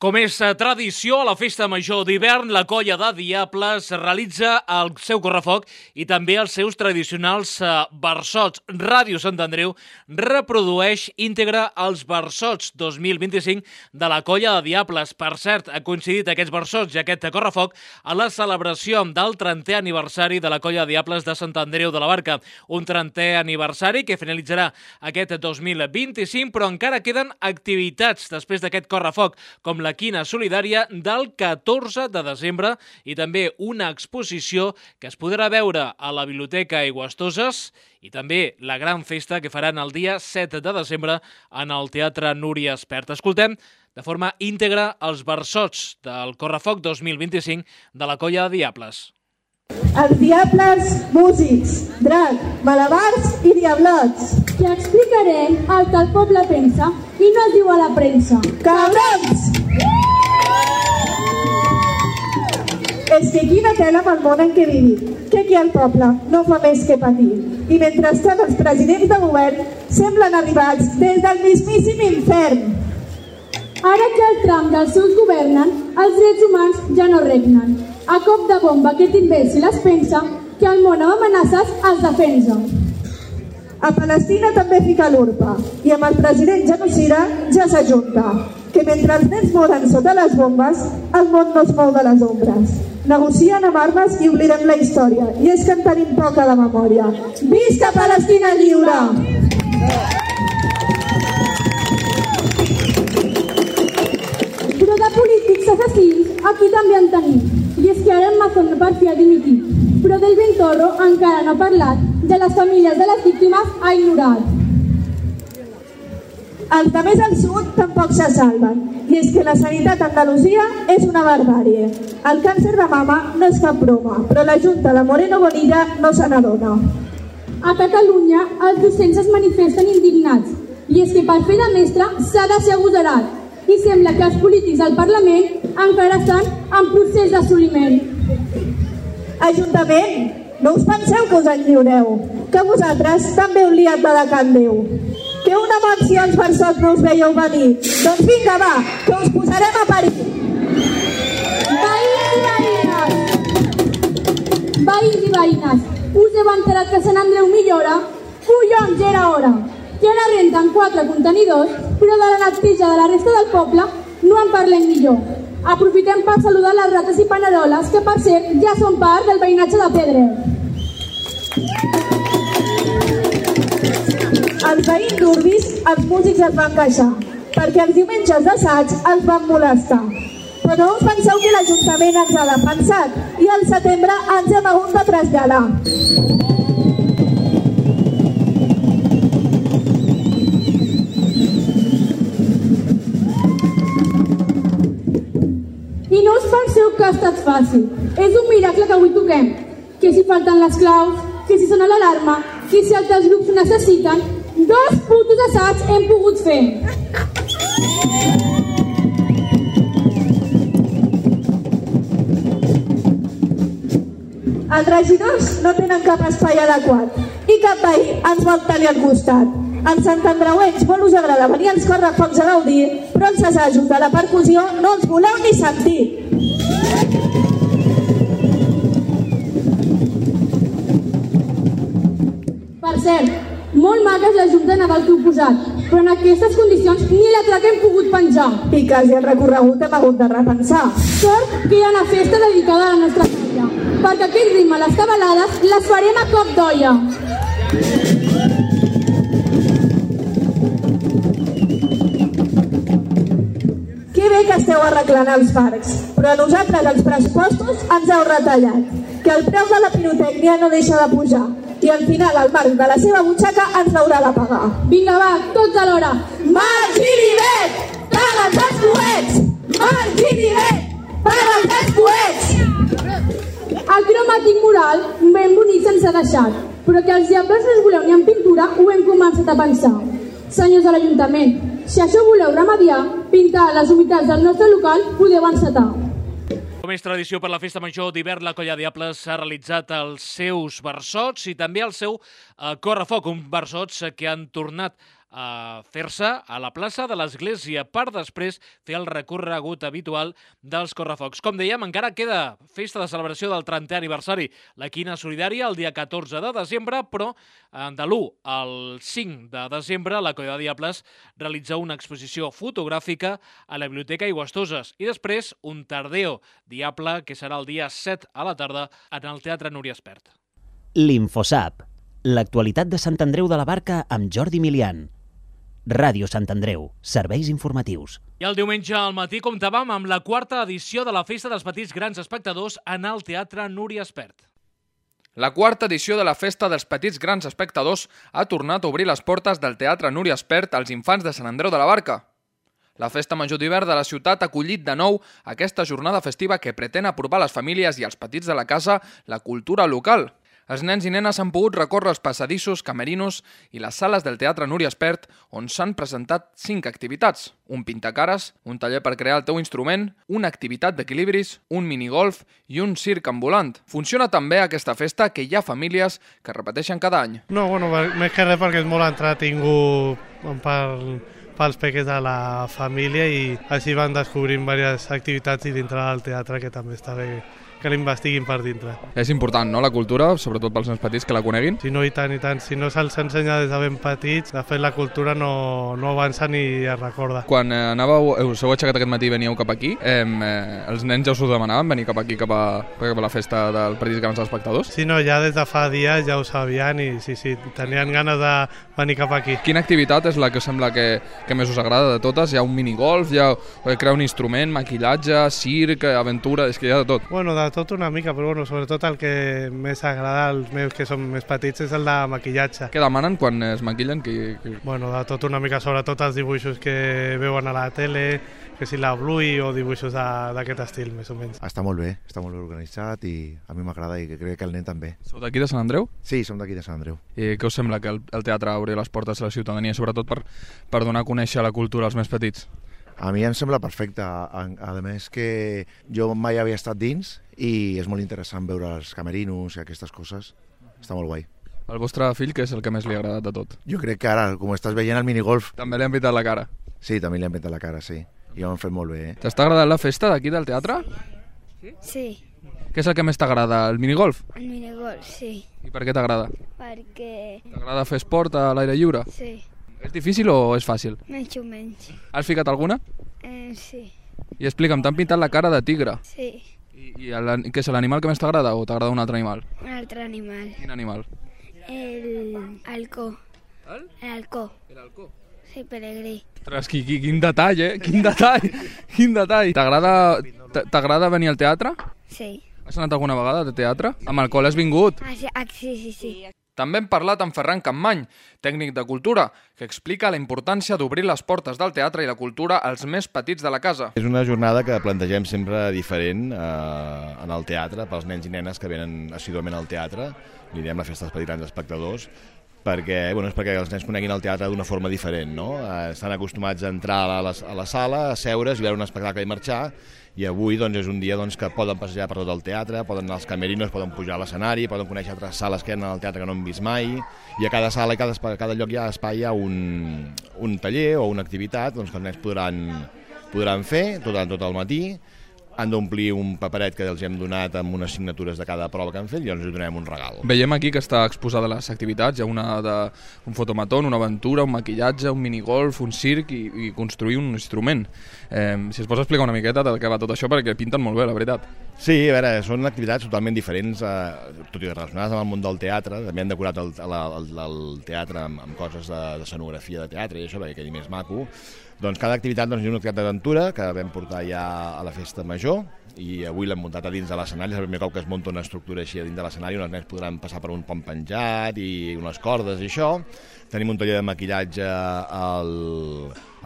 Com és tradició, a la Festa Major d'hivern, la Colla de Diables realitza el seu correfoc i també els seus tradicionals versots. Ràdio Sant Andreu reprodueix íntegra els versots dos mil vint-i-cinc de la Colla de Diables. Per cert, ha coincidit aquests versots i aquest correfoc a la celebració del trentè aniversari de la Colla de Diables de Sant Andreu de la Barca. Un trentè aniversari que finalitzarà aquest dos mil vint-i-cinc, però encara queden activitats després d'aquest correfoc, com la quina solidària del catorze de desembre i també una exposició que es podrà veure a la Biblioteca Aigüestoses i també la gran festa que faran el dia set de desembre en el Teatre Núria Espert. Escoltem de forma íntegra els versots del correfoc dos mil vint-i-cinc de la Colla de Diables. Els diables, músics, drac, malabars i diablots. Que explicarem el que el poble pensa i no es diu a la premsa. Cabrons! És que quina tela amb el món en què vivim, que aquí el poble no fa més que patir. I mentrestant els presidents de govern semblen arribats des del mismíssim infern. Ara que el tram dels seus governen, els drets humans ja no regnen. A cop de bomba aquest imbècil es pensa que el món amb amenaces es defensa. A Palestina també fica l'urpa i amb el president genocida ja s'ajunta. Que mentre els nens moren sota les bombes, el món no es mou de les ombres. Negocien amb armes i oblidem la història. I és que en tenim poca de memòria. Visca Palestina lliure! Però de polítics assassins aquí també en tenim. I és que ara el Mazón per fi ha dimitit. Però del Ventorro encara no ha parlat, de les famílies de les víctimes ha ignorat. Els de més al sud tampoc se salven. I és que la sanitat a Andalusia és una barbàrie. El càncer de mama no és cap broma, però la Junta de Moreno Bonilla no se n'adona. A Catalunya els docents es manifesten indignats. I és que per fer de mestre s'ha de ser agosarat. I sembla que els polítics al Parlament encara estan en procés d'assoliment. Ajuntament, no us penseu que us en lliureu, que vosaltres també heu liat de Can Déu. Que una menció als versots no us veieu venir. Doncs vinga, va, que us posarem a parir. Veïns i veïnes! Veïns i veïnes, us heu enterat que Sant Andreu millora? Collons, ja era hora! Que ara renten quatre contenidors, però de la neteja de la resta del poble no en parlem millor. Aprofitem per saludar les rates i paneroles, que per cert ja són part del veïnatge de Pedre. Els veïns d'Urbis, els músics es van queixar, perquè els diumenges d'assaig els van molestar. Però no us penseu que l'Ajuntament ens ha defensat i al setembre ens hem hagut de traslladar. I no us penseu que ha estat fàcil. És un miracle que avui toquem. Que si falten les claus, que si sona l'alarma, que si altres grups ho necessiten, dos putos assaigs hem pogut fer. Els regidors no tenen cap espai adequat i cap veí ens vol tenir al costat. En Sant Andreuencs molt us agrada venir als correfocs a gaudir, però els assajos de la percussió no els voleu ni sentir. Per cert, molt maca és la Junta de Nadal que heu posat, però en aquestes condicions ni la traca hem pogut penjar. I quasi el recorregut hem hagut de repensar. Sort que hi ha una festa dedicada a la nostra colla, perquè aquell ritme, les cabalades, les farem a cop d'olla. Que bé que esteu arreglant els parcs, però a nosaltres els pressupostos ens heu retallat, que el preu de la pirotècnia no deixa de pujar, i al final el marc de la seva butxaca ens l'haurà de pagar. Vinga, va, tots alhora. Marc i Vivet, paga'ns els coets! Marc i Vivet, paga'ns els coets! El cromàtic mural ben bonic se'ns ha deixat, però que els diables no us voleu ni en pintura ho hem començat a pensar. Senyors de l'Ajuntament, si això voleu remediar, pintar les humitats del nostre local, podeu encetar. Com és tradició per la Festa Major d'hivern, la Colla Diables ha realitzat els seus versots i també el seu eh, correfoc, uns versots que han tornat a fer-se a la plaça de l'Església per després fer el recorregut habitual dels correfocs. Com dèiem, encara queda festa de celebració del trentè aniversari, la Quina Solidària, el dia catorze de desembre, però de l'u al cinc de desembre la Colla de Diables realitza una exposició fotogràfica a la Biblioteca Aigüestoses i després un Tardeo Diable que serà el dia set a la tarda en el Teatre Núria Espert. L'Infosap, l'actualitat de Sant Andreu de la Barca amb Jordi Milian. Ràdio Sant Andreu, serveis informatius. I el diumenge al matí comptàvem amb la quarta edició de la Festa dels Petits Grans Espectadors en el Teatre Núria Espert. La quarta edició de la Festa dels Petits Grans Espectadors ha tornat a obrir les portes del Teatre Núria Espert als infants de Sant Andreu de la Barca. La Festa Major d'hivern de la ciutat ha acollit de nou aquesta jornada festiva que pretén apropar a les famílies i als petits de la casa la cultura local. Els nens i nenes han pogut recórrer els passadissos, camerinos i les sales del Teatre Núria Espert, on s'han presentat cinc activitats. Un pintacares, un taller per crear el teu instrument, una activitat d'equilibris, un minigolf i un circ ambulant. Funciona també aquesta festa que hi ha famílies que repeteixen cada any. No, bueno, més que res perquè és molt entretingut per, pels peques de la família i així van descobrint diverses activitats i dintre del teatre que també està bé que l'investiguin per dintre. És important, no?, la cultura, sobretot pels nens petits, que la coneguin? Si no, i tant, i tant. Si no se'ls ensenya des de ben petits, de fet la cultura no, no avança ni es recorda. Quan eh, anàveu, us heu aixecat aquest matí i veníeu cap aquí, eh, eh, els nens ja us ho demanaven, venir cap aquí, cap a, cap a la festa del Petits Grans Espectadors? Sí, no, ja des de fa dies ja ho sabien i sí, sí, tenien ganes de venir cap aquí. Quina activitat és la que sembla que, que més us agrada de totes? Hi ha un minigolf, hi ha crear un instrument, maquillatge, circ, aventura, és que hi ha de tot. Bueno, de tot una mica, però bueno, sobretot el que més agrada als meus que són més petits és el de maquillatge. Què demanen quan es maquillen? Que, que... Bueno, de tot una mica, sobretot els dibuixos que veuen a la tele, que si la Bluey o dibuixos d'aquest estil, més o menys. Està molt bé, està molt bé organitzat i a mi m'agrada i crec que el nen també. Sou d'aquí de Sant Andreu? Sí, som d'aquí de Sant Andreu. I què us sembla que el, el teatre obri les portes a la ciutadania, sobretot per, per donar a conèixer la cultura als més petits? A mi em sembla perfecte, a, a més que jo mai havia estat dins i és molt interessant veure els camerinos i aquestes coses, està molt guai. El vostre fill, què és el que més li ha agradat de tot? Jo crec que ara, com estàs veient el minigolf... També li han pintat la cara? Sí, també li han pintat la cara, sí, i ho han fet molt bé. Eh? T'està agradant la festa d'aquí del teatre? Sí. Què és el que més t'agrada, el minigolf? El minigolf, sí. I per què t'agrada? Perquè... T'agrada fer esport a l'aire lliure? Sí. És difícil o és fàcil? Menys o menys. Has ficat alguna? Eh, sí. I explica'm, t'han pintat la cara de tigre? Sí. I, i el, què és l'animal que més t'agrada o t'agrada un altre animal? Un altre animal. Quin animal? El halcó. El? L'halcó. L'halcó? Sí, peregrí. Ostres, quin, quin detall, eh? Quin detall! Quin detall! T'agrada venir al teatre? Sí. Has anat alguna vegada de teatre? Amb el col has vingut? Ah, sí, ah, sí, sí, sí. També hem parlat amb Ferran Campmany, tècnic de cultura, que explica la importància d'obrir les portes del teatre i la cultura als més petits de la casa. És una jornada que plantegem sempre diferent eh, en el teatre, pels nens i nenes que venen assiduament al teatre, li diem la festa dels petits grans espectadors, perquè, bueno, és perquè els nens coneguin el teatre d'una forma diferent, no? Eh, estan acostumats a entrar a la, a la sala, a seure's i veure un espectacle i marxar, i avui doncs, és un dia doncs, que poden passejar per tot el teatre, poden anar als camerinos, poden pujar a l'escenari, poden conèixer altres sales que hi ha al teatre que no han vist mai, i a cada sala i cada, a cada lloc hi ha espai hi ha un, un taller o una activitat doncs, que els nens podran, podran fer tot, tot el matí. Han d'omplir un paperet que els hem donat amb unes signatures de cada prova que han fet i ens donem un regal. Veiem aquí que està exposada les activitats, hi ha una de, un fotomatón, una aventura, un maquillatge, un minigolf, un circ i, i construir un instrument. Eh, si es pots explicar una miqueta de què va tot això, perquè pinten molt bé, la veritat. Sí, a veure, són activitats totalment diferents, eh, tot i relacionades amb el món del teatre. També han decorat el, el, el, el teatre amb, amb coses de, de escenografia de teatre i això, perquè quedi més maco. Doncs cada activitat doncs, és una activitat d'aventura que vam portar ja a la festa major i avui l'hem muntat a dins de l'escenari, és el primer cop que es munta una estructura així a dins de l'escenari on els nens podran passar per un pont penjat i unes cordes i això. Tenim un taller de maquillatge al,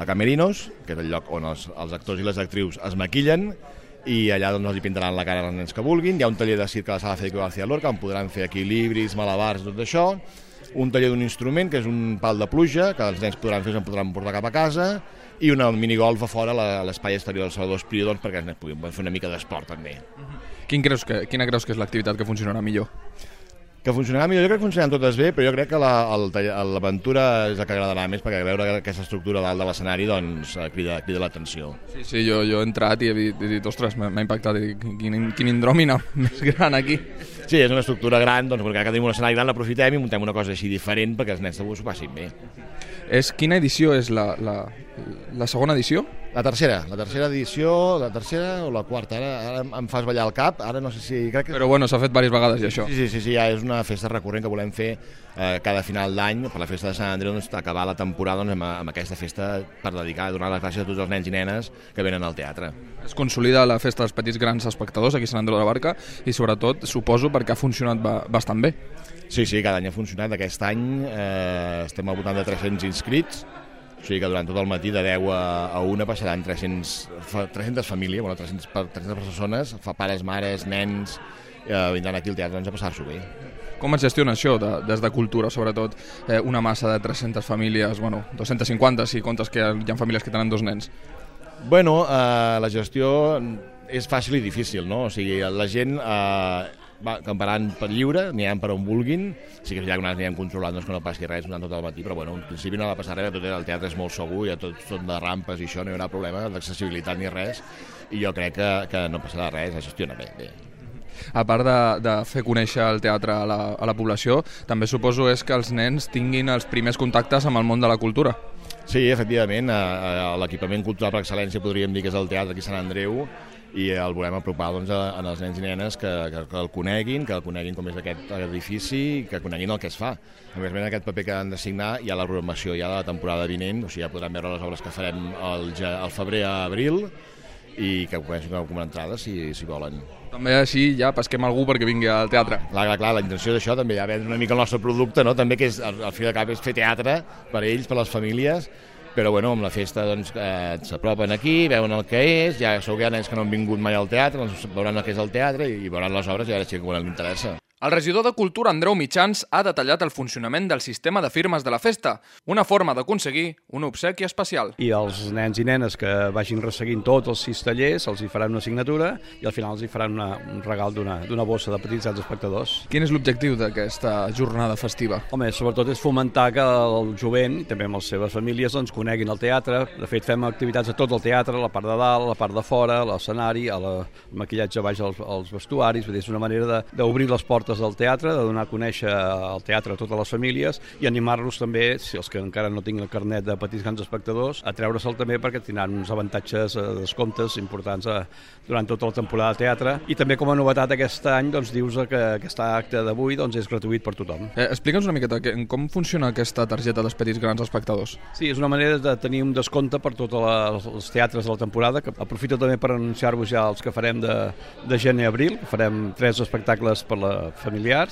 a Camerinos, que és el lloc on els, els actors i les actrius es maquillen, i allà doncs, els hi pintaran la cara als nens que vulguin. Hi ha un taller de circ a la sala Federico García Lorca on podran fer equilibris, malabars, tot això. Un taller d'un instrument, que és un pal de pluja, que els nens podran fer, se'n podran portar cap a casa, i una minigolf a fora a l'espai exterior del Salvador Espriu, doncs, perquè els nens puguin fer una mica d'esport també. Quin creus que, quina creus que és l'activitat que funcionarà millor? Que funcionarà millor, jo crec que funcionaran totes bé, però jo crec que l'aventura és el que agradarà més, perquè veure aquesta estructura dalt de l'escenari doncs, crida, crida l'atenció. Sí, sí, jo, jo he entrat i he dit, he dit ostres, m'ha impactat, he dit, quin, quin indròmina més gran aquí. Sí, és una estructura gran, doncs perquè tenim un escenari gran, l'aprofitem i muntem una cosa així diferent perquè els nens s'ho passin bé. És, quina edició és la, la, la segona edició? La tercera, la tercera edició, la tercera o la quarta, ara, ara em fas ballar el cap, ara no sé si... Crec que... Però bueno, s'ha fet diverses vegades ja això. Sí, sí, sí, sí, ja és una festa recurrent que volem fer eh, cada final d'any, per la festa de Sant Andreu, doncs, acabar la temporada doncs, amb, amb aquesta festa per dedicar, donar les gràcies a tots els nens i nenes que venen al teatre. Es consolida la festa dels petits grans espectadors aquí a Sant Andreu de la Barca i sobretot, suposo, perquè ha funcionat ba bastant bé. Sí, sí, cada any ha funcionat. Aquest any eh, estem al voltant de tres-cents inscrits, o sigui que durant tot el matí de deu a una passaran tres-centes famílies, bueno, tres-centes persones, fa pares, mares, nens, eh, vindran aquí al teatre doncs, a passar-s'ho bé. Com es gestiona això de, des de cultura, sobretot eh, una massa de tres-centes famílies, bueno, dos-centes cinquanta si comptes que hi ha famílies que tenen dos nens? Bueno, eh, la gestió és fàcil i difícil, no? O sigui, la gent... Eh, va camparan per lliure, n'hi ha per on vulguin, sí que ja que n'hi hem controlat doncs, que no passi res durant tot el matí, però bueno, en principi no va passar res, tot el teatre és molt segur, ja tot són de rampes i això, no hi haurà problema d'accessibilitat ni res, i jo crec que, que no passarà res, es gestiona bé, bé. A part de, de fer conèixer el teatre a la, a la població, també suposo és que els nens tinguin els primers contactes amb el món de la cultura. Sí, efectivament, l'equipament cultural per excel·lència podríem dir que és el teatre aquí a Sant Andreu, i el volem apropar doncs, a, a els nens i nenes que, que, que el coneguin, que el coneguin com és aquest edifici, que coneguin el que es fa. A més, en aquest paper que han de signar hi ha la programació ja de la temporada vinent, o sigui, ja podran veure les obres que farem al, al febrer a abril i que comencin a comprar entrades si, si volen. També així ja pesquem algú perquè vingui al teatre. Clar, clar, clar, la intenció d'això també ja vendre una mica el nostre producte, no? També que és, al, al fi de cap és fer teatre per ells, per les famílies, però bueno, amb la festa doncs, eh, s'apropen aquí, veuen el que és, ja segur que hi ha nens que no han vingut mai al teatre, doncs veuran el que és el teatre i, i veuran les obres i ara sí que quan els interessa. El regidor de Cultura, Andreu Mitjans, ha detallat el funcionament del sistema de firmes de la festa, una forma d'aconseguir un obsequi especial. I els nens i nenes que vagin resseguint tots els sis tallers, els hi faran una assignatura i al final els hi faran una, un regal d'una bossa de petits grans espectadors. Quin és l'objectiu d'aquesta jornada festiva? Home, sobretot és fomentar que el jovent, i també amb les seves famílies, doncs, coneguin el teatre. De fet, fem activitats a tot el teatre, a la part de dalt, a la part de fora, a l'escenari, al maquillatge baix als, als vestuaris. Vull dir, és una manera d'obrir les portes del teatre, de donar a conèixer el teatre a totes les famílies i animar-los també, si els que encara no tinguin el carnet de petits grans espectadors, a treure-se'l també perquè tindran uns avantatges de descomptes importants a, durant tota la temporada de teatre. I també com a novetat aquest any doncs, dius que aquest acte d'avui doncs, és gratuït per tothom. Eh, Explica'ns una miqueta com funciona aquesta targeta dels petits grans espectadors. Sí, és una manera de tenir un descompte per tots els teatres de la temporada, que aprofito també per anunciar-vos ja els que farem de, de gener a abril, que farem tres espectacles per la familiar,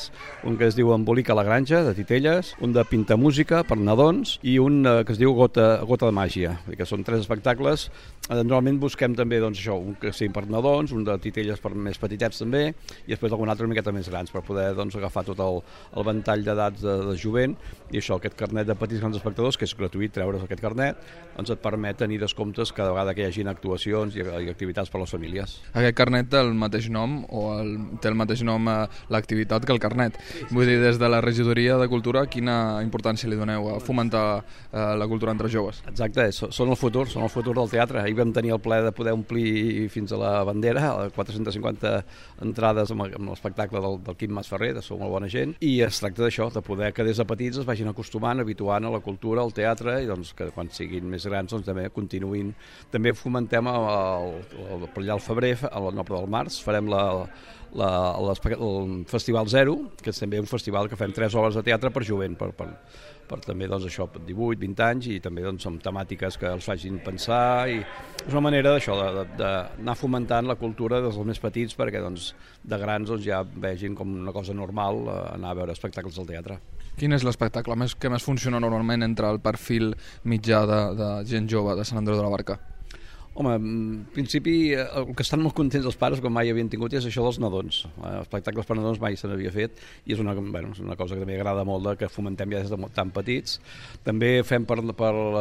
un que es diu Embolica a la granja, de Titelles, un de Pintamúsica, per nadons, i un que es diu Gota, Gota de màgia, que són tres espectacles. Normalment busquem també doncs, això, un que sigui per nadons, un de Titelles per més petitets també, i després algun altre una miqueta més grans, per poder doncs, agafar tot el, el ventall d'edats de, de jovent, i això, aquest carnet de petits grans espectadors, que és gratuït treure's aquest carnet, doncs et permet tenir descomptes cada vegada que hi hagin actuacions i, i activitats per a les famílies. Aquest carnet té el mateix nom, o el, té el mateix nom a l'activitat que el carnet. Vull dir, des de la regidoria de Cultura, quina importància li doneu a fomentar eh, la cultura entre joves? Exacte, són el futur, són el futur del teatre. Ahir vam tenir el plaer de poder omplir fins a la bandera, quatre-centes cinquanta entrades amb l'espectacle del, del Quim Masferrer, de Sou molt bona gent, i es tracta d'això, de poder que des de petits es vagin acostumant, habituant a la cultura, al teatre, i doncs que quan siguin més grans doncs, també continuïn. També fomentem el, el, el, per allà al febrer, al Noble del Març, farem la La, el Festival Zero, que és també un festival que fem tres obres de teatre per jovent, per, per, per també doncs, això, divuit, vint anys, i també doncs, amb temàtiques que els facin pensar, i és una manera d'això, d'anar fomentant la cultura dels més petits perquè doncs, de grans doncs, ja vegin com una cosa normal anar a veure espectacles al teatre. Quin és l'espectacle més, que més funciona normalment entre el perfil mitjà de, de gent jove de Sant Andreu de la Barca? Home, en principi, el que estan molt contents els pares, com mai havien tingut, és això dels nadons. Espectacles per nadons mai se n'havia fet i és una, bueno, és una cosa que també agrada molt, de, que fomentem ja des de tan petits. També fem per, per uh,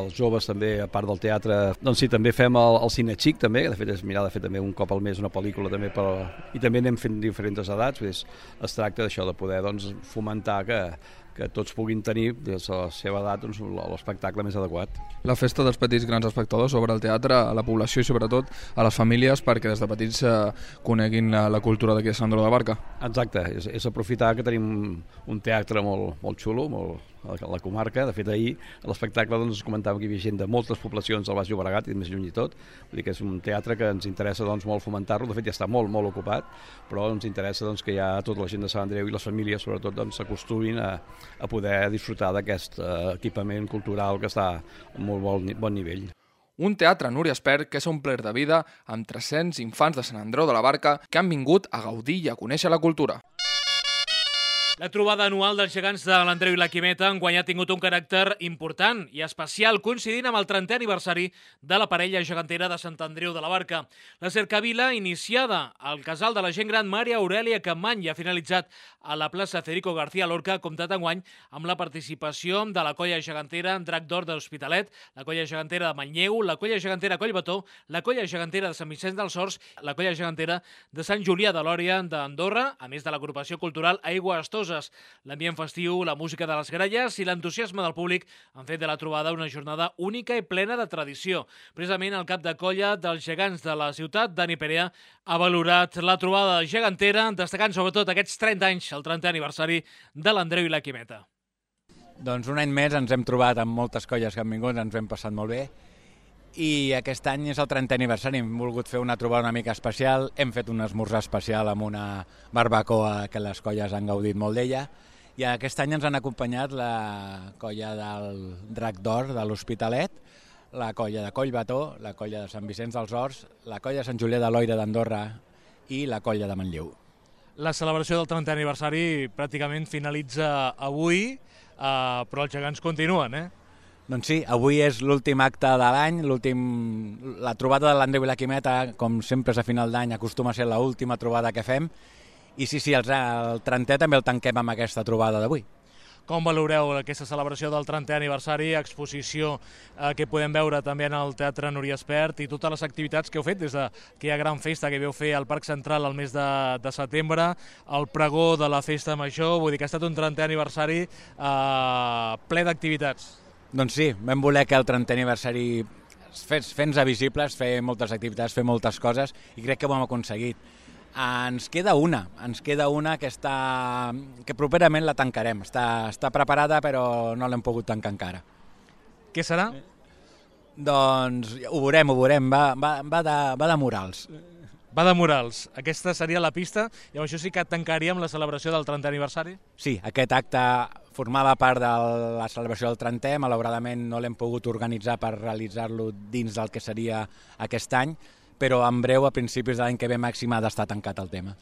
els joves, també, a part del teatre, doncs sí, també fem el, el cine xic, també, que de fet és mirar de fer també un cop al mes una pel·lícula, també per, i també anem fent diferents edats, és, es tracta d'això, de poder doncs, fomentar que que tots puguin tenir, des de la seva edat, doncs, l'espectacle més adequat. La festa dels petits grans espectadors obre el teatre a la població i sobretot a les famílies perquè des de petits eh, coneguin la, la cultura d'aquí de Sant Andreu de la Barca. Exacte, és, és aprofitar que tenim un teatre molt, molt xulo, molt, a la comarca. De fet, ahir a l'espectacle doncs, es comentava que hi havia gent de moltes poblacions del Baix Llobregat i més lluny i tot. Vull dir que és un teatre que ens interessa doncs, molt fomentar-lo. De fet, ja està molt, molt ocupat, però ens interessa doncs, que ja tota la gent de Sant Andreu i les famílies, sobretot, doncs, s'acostumin a, a poder disfrutar d'aquest uh, equipament cultural que està a molt bon, bon nivell. Un teatre, Núria Espert, que s'ha omplert de vida amb tres-cents infants de Sant Andreu de la Barca que han vingut a gaudir i a conèixer la cultura. La trobada anual dels gegants de l'Andreu i la Quimeta enguany ha tingut un caràcter important i especial, coincidint amb el trentè aniversari de la parella gegantera de Sant Andreu de la Barca. La cercavila, iniciada al casal de la gent gran Maria Aurèlia Campmany i ha finalitzat a la plaça Federico García Lorca, ha comptat enguany amb la participació de la colla gegantera Drac d'Or de l'Hospitalet, la colla gegantera de Manlleu, la colla gegantera Collbató, la colla gegantera de Sant Vicenç dels Horts, la colla gegantera de Sant Julià de Lòria d'Andorra, a més de l'agrupació cultural Aigua Astós. L'ambient festiu, la música de les gralles i l'entusiasme del públic han fet de la trobada una jornada única i plena de tradició. Precisament el cap de colla dels gegants de la ciutat, Dani Perea, ha valorat la trobada gegantera, destacant sobretot aquests trenta anys, el trentè aniversari de l'Andreu i la Quimeta. Doncs un any més ens hem trobat amb moltes colles que han vingut, ens hem passat molt bé. I aquest any és el trentè aniversari, hem volgut fer una trobada una mica especial, hem fet un esmorzar especial amb una barbacoa que les colles han gaudit molt d'ella, i aquest any ens han acompanyat la colla del Drac d'Or de l'Hospitalet, la colla de Collbató, la colla de Sant Vicenç dels Horts, la colla de Sant Julià de Lòria d'Andorra i la colla de Manlleu. La celebració del trentè aniversari pràcticament finalitza avui, eh, però els gegants continuen, eh? Doncs sí, avui és l'últim acte de l'any, la trobada de l'Andreu i la Quimeta, com sempre és a final d'any, acostuma a ser l'última trobada que fem, i sí, sí, el, el trentè també el tanquem amb aquesta trobada d'avui. Com valoreu aquesta celebració del trentè aniversari, exposició eh, que podem veure també en el Teatre Núria Espert i totes les activitats que heu fet des d'aquella gran festa que veu fer al Parc Central el mes de, de setembre, el pregó de la festa major, vull dir que ha estat un trentè aniversari eh, ple d'activitats. Doncs sí, vam voler que el trentè aniversari fes-nos visibles, fer moltes activitats, fer moltes coses, i crec que ho hem aconseguit. Ens queda una, ens queda una que, està, que properament la tancarem. Està, està preparada, però no l'hem pogut tancar encara. Què serà? Doncs ho veurem, ho veurem, va, va, va, de, va de murals. Va de murals. Aquesta seria la pista, i amb això sí que tancaríem la celebració del trentè aniversari? Sí, aquest acte formava part de la celebració del trentè, malauradament no l'hem pogut organitzar per realitzar-lo dins del que seria aquest any, però en breu, a principis de l'any que ve màxim, ha d'estar tancat el tema.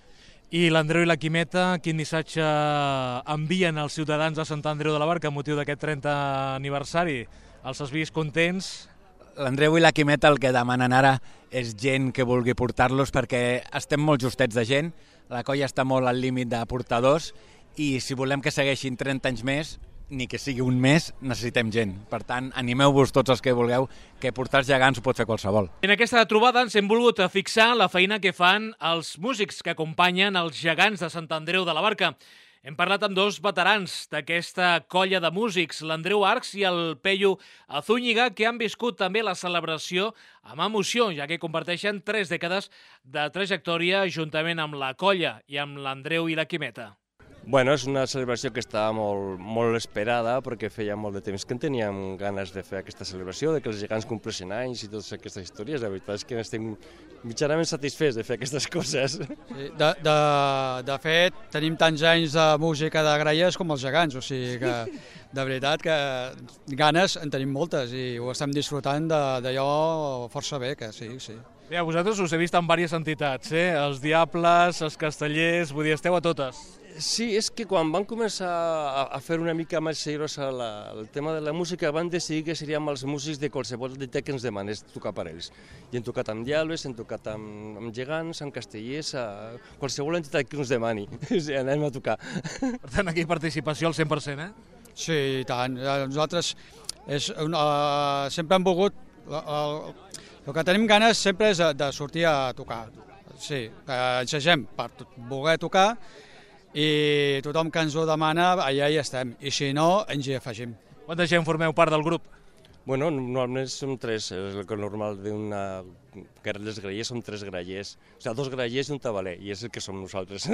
I l'Andreu i la Quimeta, quin missatge envien als ciutadans de Sant Andreu de la Barca amb motiu d'aquest trentè aniversari? Els has vist contents? L'Andreu i la Quimeta el que demanen ara és gent que vulgui portar-los, perquè estem molt justets de gent, la colla està molt al límit de portadors, i si volem que segueixin trenta anys més, ni que sigui un mes, necessitem gent. Per tant, animeu-vos tots els que vulgueu, que portar els gegants ho pot fer qualsevol. En aquesta trobada ens hem volgut fixar la feina que fan els músics que acompanyen els gegants de Sant Andreu de la Barca. Hem parlat amb dos veterans d'aquesta colla de músics, l'Andreu Arcs i el Peyu Zúñiga, que han viscut també la celebració amb emoció, ja que comparteixen tres dècades de trajectòria juntament amb la colla i amb l'Andreu i la Quimeta. Bueno, és una celebració que està molt, molt esperada, perquè feia molt de temps que en teníem ganes de fer aquesta celebració, de que els gegants compleixen anys i totes aquestes històries. La veritat és que estem mitjanament satisfets de fer aquestes coses. Sí, de, de, de fet, tenim tants anys de música de gralles com els gegants, o sigui que de veritat que ganes en tenim moltes i ho estem disfrutant d'allò força bé, que sí, sí. Bé, vosaltres us he vist en diverses entitats, eh? Els Diables, els Castellers, vull dir, esteu a totes. Sí, és que quan van començar a, a fer una mica més seriosa la, el tema de la música, van decidir que seríem els músics de qualsevol entitat que ens demanés tocar per ells. I hem tocat amb Diables, hem tocat amb, amb Gegants, amb Castellers, a qualsevol entitat que ens demani. O sigui, anem a tocar. Per tant, aquí participació al cent per cent, eh? Sí, i tant. Nosaltres és una, sempre hem volgut... El, el que tenim ganes sempre és de sortir a tocar. Sí, ensagem per voler tocar i tothom que ens ho demana, allà hi estem. I si no, ens hi afegim. Quanta gent formeu part del grup? Bueno, normalment som tres, és el que normal d'una... que les grallers són tres grallers, o sigui, dos grallers i un tabaler, i és el que som nosaltres.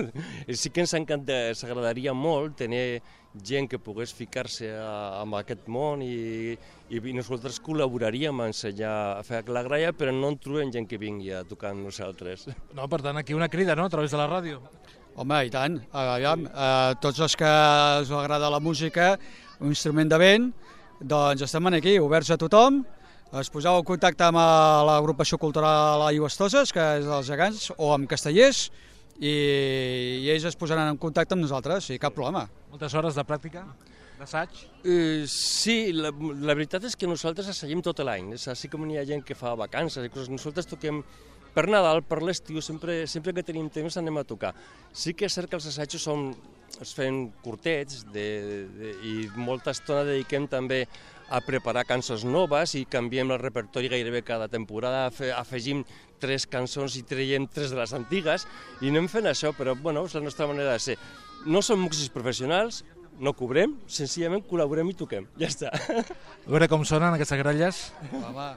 Sí que ens encanta, s'agradaria molt tenir gent que pogués ficar-se en aquest món i, i nosaltres col·laboraríem a ensenyar a fer la gralla, però no en trobem gent que vingui a tocar amb nosaltres. No, per tant, aquí una crida, no?, a través de la ràdio. Home, i tant. Aviam, eh, tots els que us agrada la música, un instrument de vent, doncs estem aquí, oberts a tothom. Es poseu en contacte amb l'agrupació cultural Aigües Toses, que és dels Gegants, o amb Castellers, i, i ells es posaran en contacte amb nosaltres, i cap problema. Moltes hores de pràctica, d'assaig? Uh, sí, la, la veritat és que nosaltres assagim tot l'any, així com hi ha gent que fa vacances i coses, nosaltres toquem per Nadal, per l'estiu, sempre, sempre que tenim temps anem a tocar. Sí que és cert que els assajos són, es fan curtets de, de, i molta estona dediquem també a preparar cançons noves i canviem el repertori gairebé cada temporada, afegim tres cançons i traiem tres de les antigues i anem fent això, però bueno, és la nostra manera de ser. No som músics professionals, no cobrem, senzillament col·laborem i toquem, ja està. A veure com sonen aquestes gralles. Home.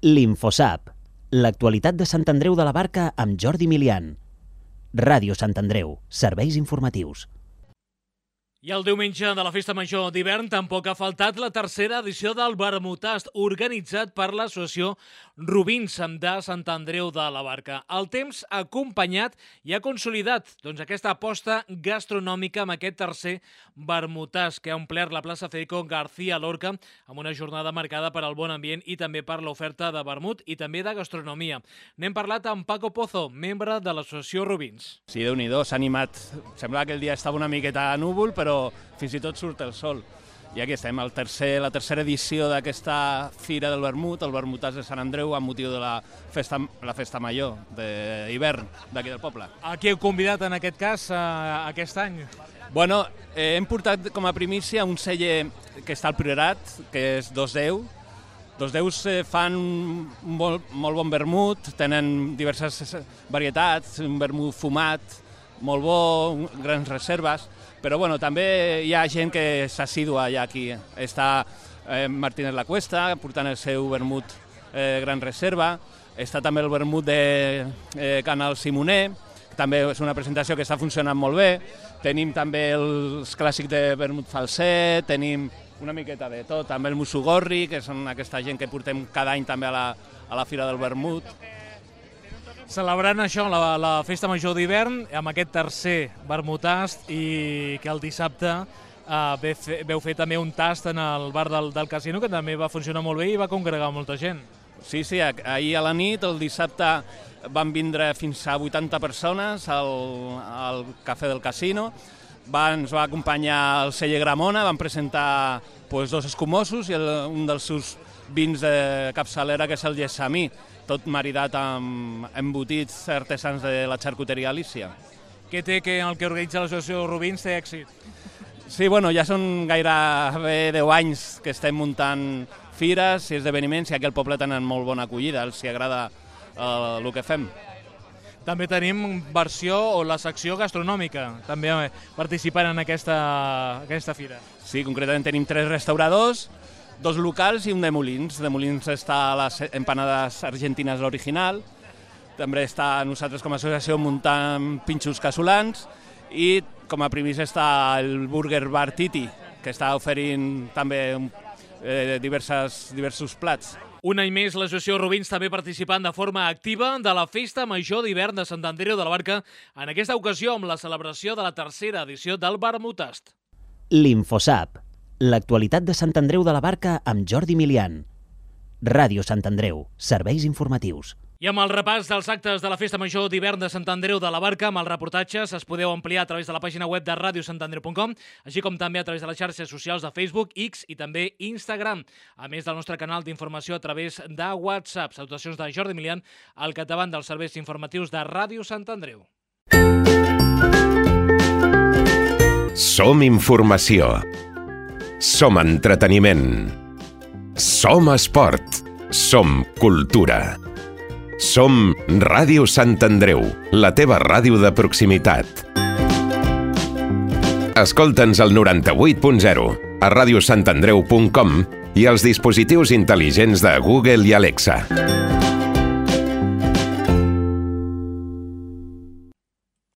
L'Infosap, l'actualitat de Sant Andreu de la Barca amb Jordi Milian. Ràdio Sant Andreu, serveis informatius. I el diumenge de la Festa Major d'hivern tampoc ha faltat la tercera edició del Vermutast, organitzat per l'associació Rubins de Sant Andreu de la Barca. El temps ha acompanyat i ha consolidat doncs, aquesta aposta gastronòmica amb aquest tercer Vermutast que ha omplert la plaça Federico García Lorca amb una jornada marcada per al bon ambient i també per l'oferta de vermut i també de gastronomia. N'hem parlat amb Paco Pozo, membre de l'associació Rubins. Sí, Déu-n'hi-do, s'ha animat. Sembla que el dia estava una miqueta núvol, però fins i tot surt el sol. I aquí estem, el tercer, la tercera edició d'aquesta Fira del Vermut, el Vermutàs de Sant Andreu, amb motiu de la festa, la festa major d'hivern d'aquí del poble. A qui heu convidat en aquest cas a, a aquest any? Bueno, eh, hem portat com a primícia un celler que està al Priorat, que és Dos Déu. Dos Déus eh, fan un molt, molt bon vermut, tenen diverses varietats, un vermut fumat, molt bo, grans reserves, però bueno, també hi ha gent que s'assidua ja aquí. Està eh, Martínez La Cuesta portant el seu vermut eh, gran reserva, està també el vermut de eh, Canal Simoner, que també és una presentació que està funcionant molt bé, tenim també els clàssics de vermut falset, tenim una miqueta de tot, també el Musugorri, que són aquesta gent que portem cada any també a la, a la Fira del Vermut. Celebrant això, la, la Festa Major d'hivern, amb aquest tercer vermutast i que el dissabte eh, fe, veu fer també un tast en el bar del, del casino, que també va funcionar molt bé i va congregar molta gent. Sí, sí, ahir a la nit, el dissabte, van vindre fins a vuitanta persones al, al Cafè del Casino. Va, ens va acompanyar el celler Gramona, van presentar pues, dos escumosos i el, un dels seus vins de capçalera, que és el Gessamí, tot maridat amb embotits artesans de la xarcuteria Alícia. Què té que el que organitza l'associació Rubins té èxit? Sí, bueno, ja són gairebé deu anys que estem muntant fires i esdeveniments i aquí al poble tenen molt bona acollida, els hi agrada eh, el que fem. També tenim versió o la secció gastronòmica, també participant en aquesta, aquesta fira. Sí, concretament tenim tres restauradors, dos locals i un de Molins. De Molins està les empanades argentines l'original, també està nosaltres com a associació muntant pinxos casolans i com a primís està el Burger Bar Titi, que està oferint també eh, diverses, diversos plats. Un any més, l'associació Rubins també participant de forma activa de la Festa Major d'Hivern de Sant Andreu de la Barca, en aquesta ocasió amb la celebració de la tercera edició del Vermutast. L'Infosap, l'actualitat de Sant Andreu de la Barca amb Jordi Milian. Ràdio Sant Andreu, serveis informatius. I amb el repàs dels actes de la Festa Major d'Hivern de Sant Andreu de la Barca, amb els reportatges es podeu ampliar a través de la pàgina web de radio sant andreu punt com, així com també a través de les xarxes socials de Facebook, X i també Instagram, a més del nostre canal d'informació a través de WhatsApp. Salutacions de Jordi Milian, al capdavant dels serveis informatius de Ràdio Sant Andreu. Som informació. Som entreteniment. Som esport. Som cultura. Som Ràdio Sant Andreu, la teva ràdio de proximitat. Escolta'ns al noranta-vuit punt zero, a radio sant andreu punt com i als dispositius intel·ligents de Google i Alexa.